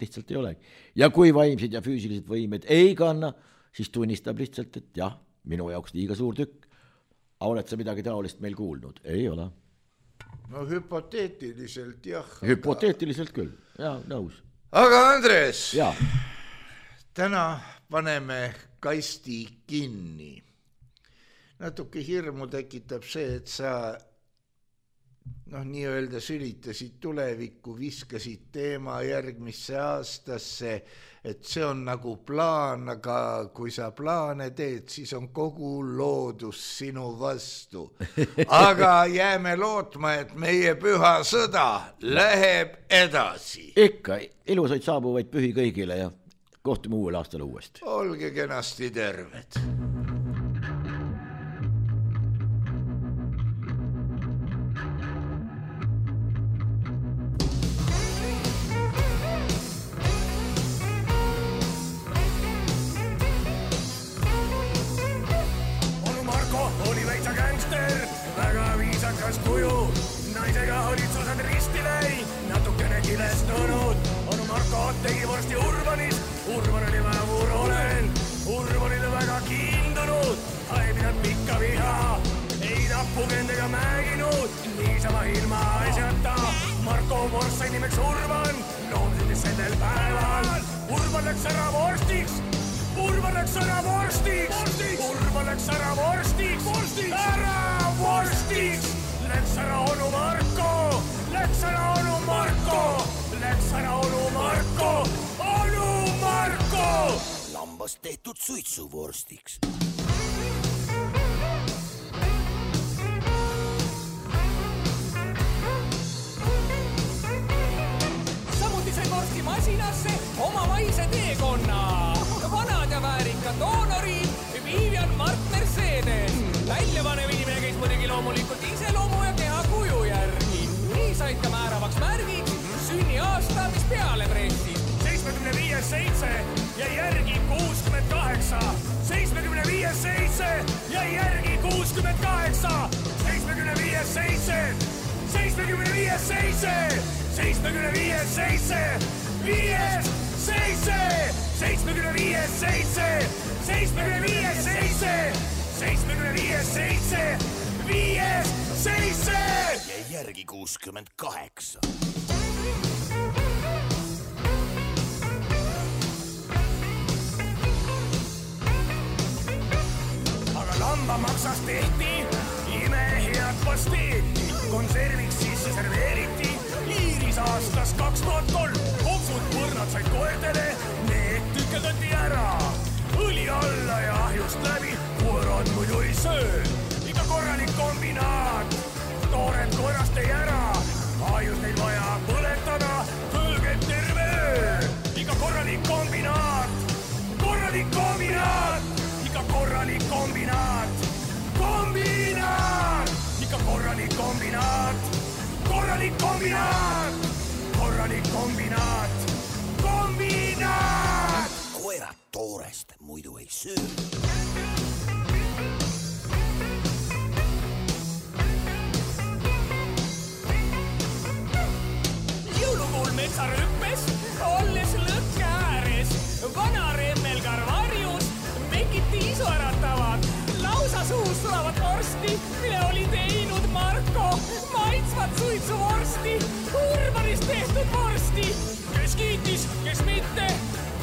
lihtsalt ei ole. Ja kui vaimsed ja füüsilised võimed ei kanna, siis tunnistab lihtsalt, et jah, minu jaoks liiga suur tükk. Oled sa midagi taolist meil kuulnud? Ei ole. No hüpoteetiliselt jah. Hüpoteetiliselt küll, jah, nõus. Aga Andres, ja. Täna paneme kasti kinni. Natuke hirmu tekitab see, et sa nii öelda sülitasid tulevikku, viskasid teema järgmisse aastasse, et see on nagu plaan, aga kui sa plaane teed, siis on kogu loodus sinu vastu. Aga jääme lootma, et meie püha sõda läheb edasi. Ikka, ilusaid saabuvaid pühi kõigile ja kohtume uuel aastal uuesti. Olge kenasti terved. Väga viisakas kuju, naisega olid susad risti läi. imestunud. Onu Marko tegi vorsti Urbanis, Urban oli väevur olen. Urbanile väga kiindunud, ei pidanud pikka viha. Ei tapukendega määginud, niisama ilma asjata. Marko vorst sai nimeks Urban, loomsündis sellel päeval. Urban läks ära vorstiks, Urban läks ära vorstiks, Urban läks ära vorstiks, ära vorstiks. Läks ära onu Marko, läks ära onu Marko, läks ära onu Marko, onu Marko. Lambast tehtud suitsuvorstiks. Samuti sai vorsti masinasse omavaise teekonna. Vanad ja väärikad doonorid, Vivian Mart Mercedes. Väljapanev inimene käis muidugi loomulikult iseloomu ja kehakuju järgi. Nii said ka määravaks märgiks sünniaasta, mis peale pressis. 75-7 ja järgi 68. 75-7 ja järgi 68. 75-7, 75-7, 75-7, 5-7, 75-7, 75-7, 75-7, 5-7. Ja järgi 68. Lambamaksast tehti imehead pasteeti, konserviks sisse serveeriti, Iiris aastas 2003, kopsud põrnad said koertele, need tükeldati ära, õli alla ja ahjust läbi, koerad muidu ei söö, ikka korralik kombinaat, toored koerast ei ära, ahjust neid vaja põletada, tõlged terve öö, ikka korralik kombinaat, korralik kombinaat. Ikka korralik kombinaat, kombinaat, ikka korralik kombinaat, korralik kombinaat, korralik kombinaat, kombinaat. Koerad toorest muidu ei söö. Jõulukuul metsarüppes, olles lõkke ääres, vana remmelgar varjus, mekiti isu äratavad, lausa suus tulevad vorsti, mille oli teinud Marko, maitsvad suitsuvorsti, Urbanist tehtud vorsti. Kes kiitis, kes mitte,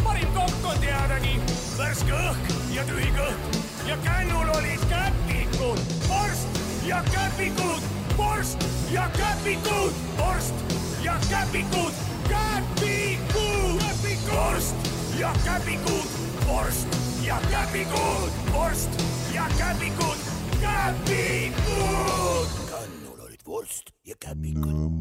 parim kokk on teadagi, värske õhk ja tühi kõht ja kännul olid käpikud, vorst ja käpikud, vorst ja käpikud, vorst ja käpikud, käpikud, vorst ja käpikud, vorst ja käpikud, vorst ja käpikud, käpikud. Kannul olid vorst ja käpikud.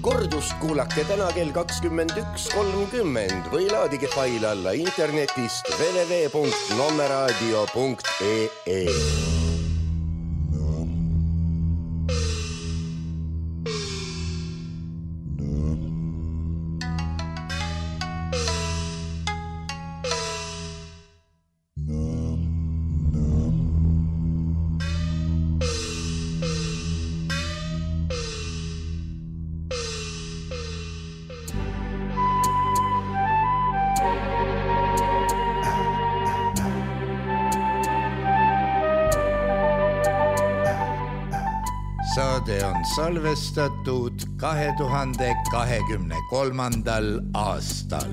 Kordust kuulake täna kell 21.30 või laadige fail alla internetist www.nommeradio.ee. Saade on salvestatud 2023. aastal.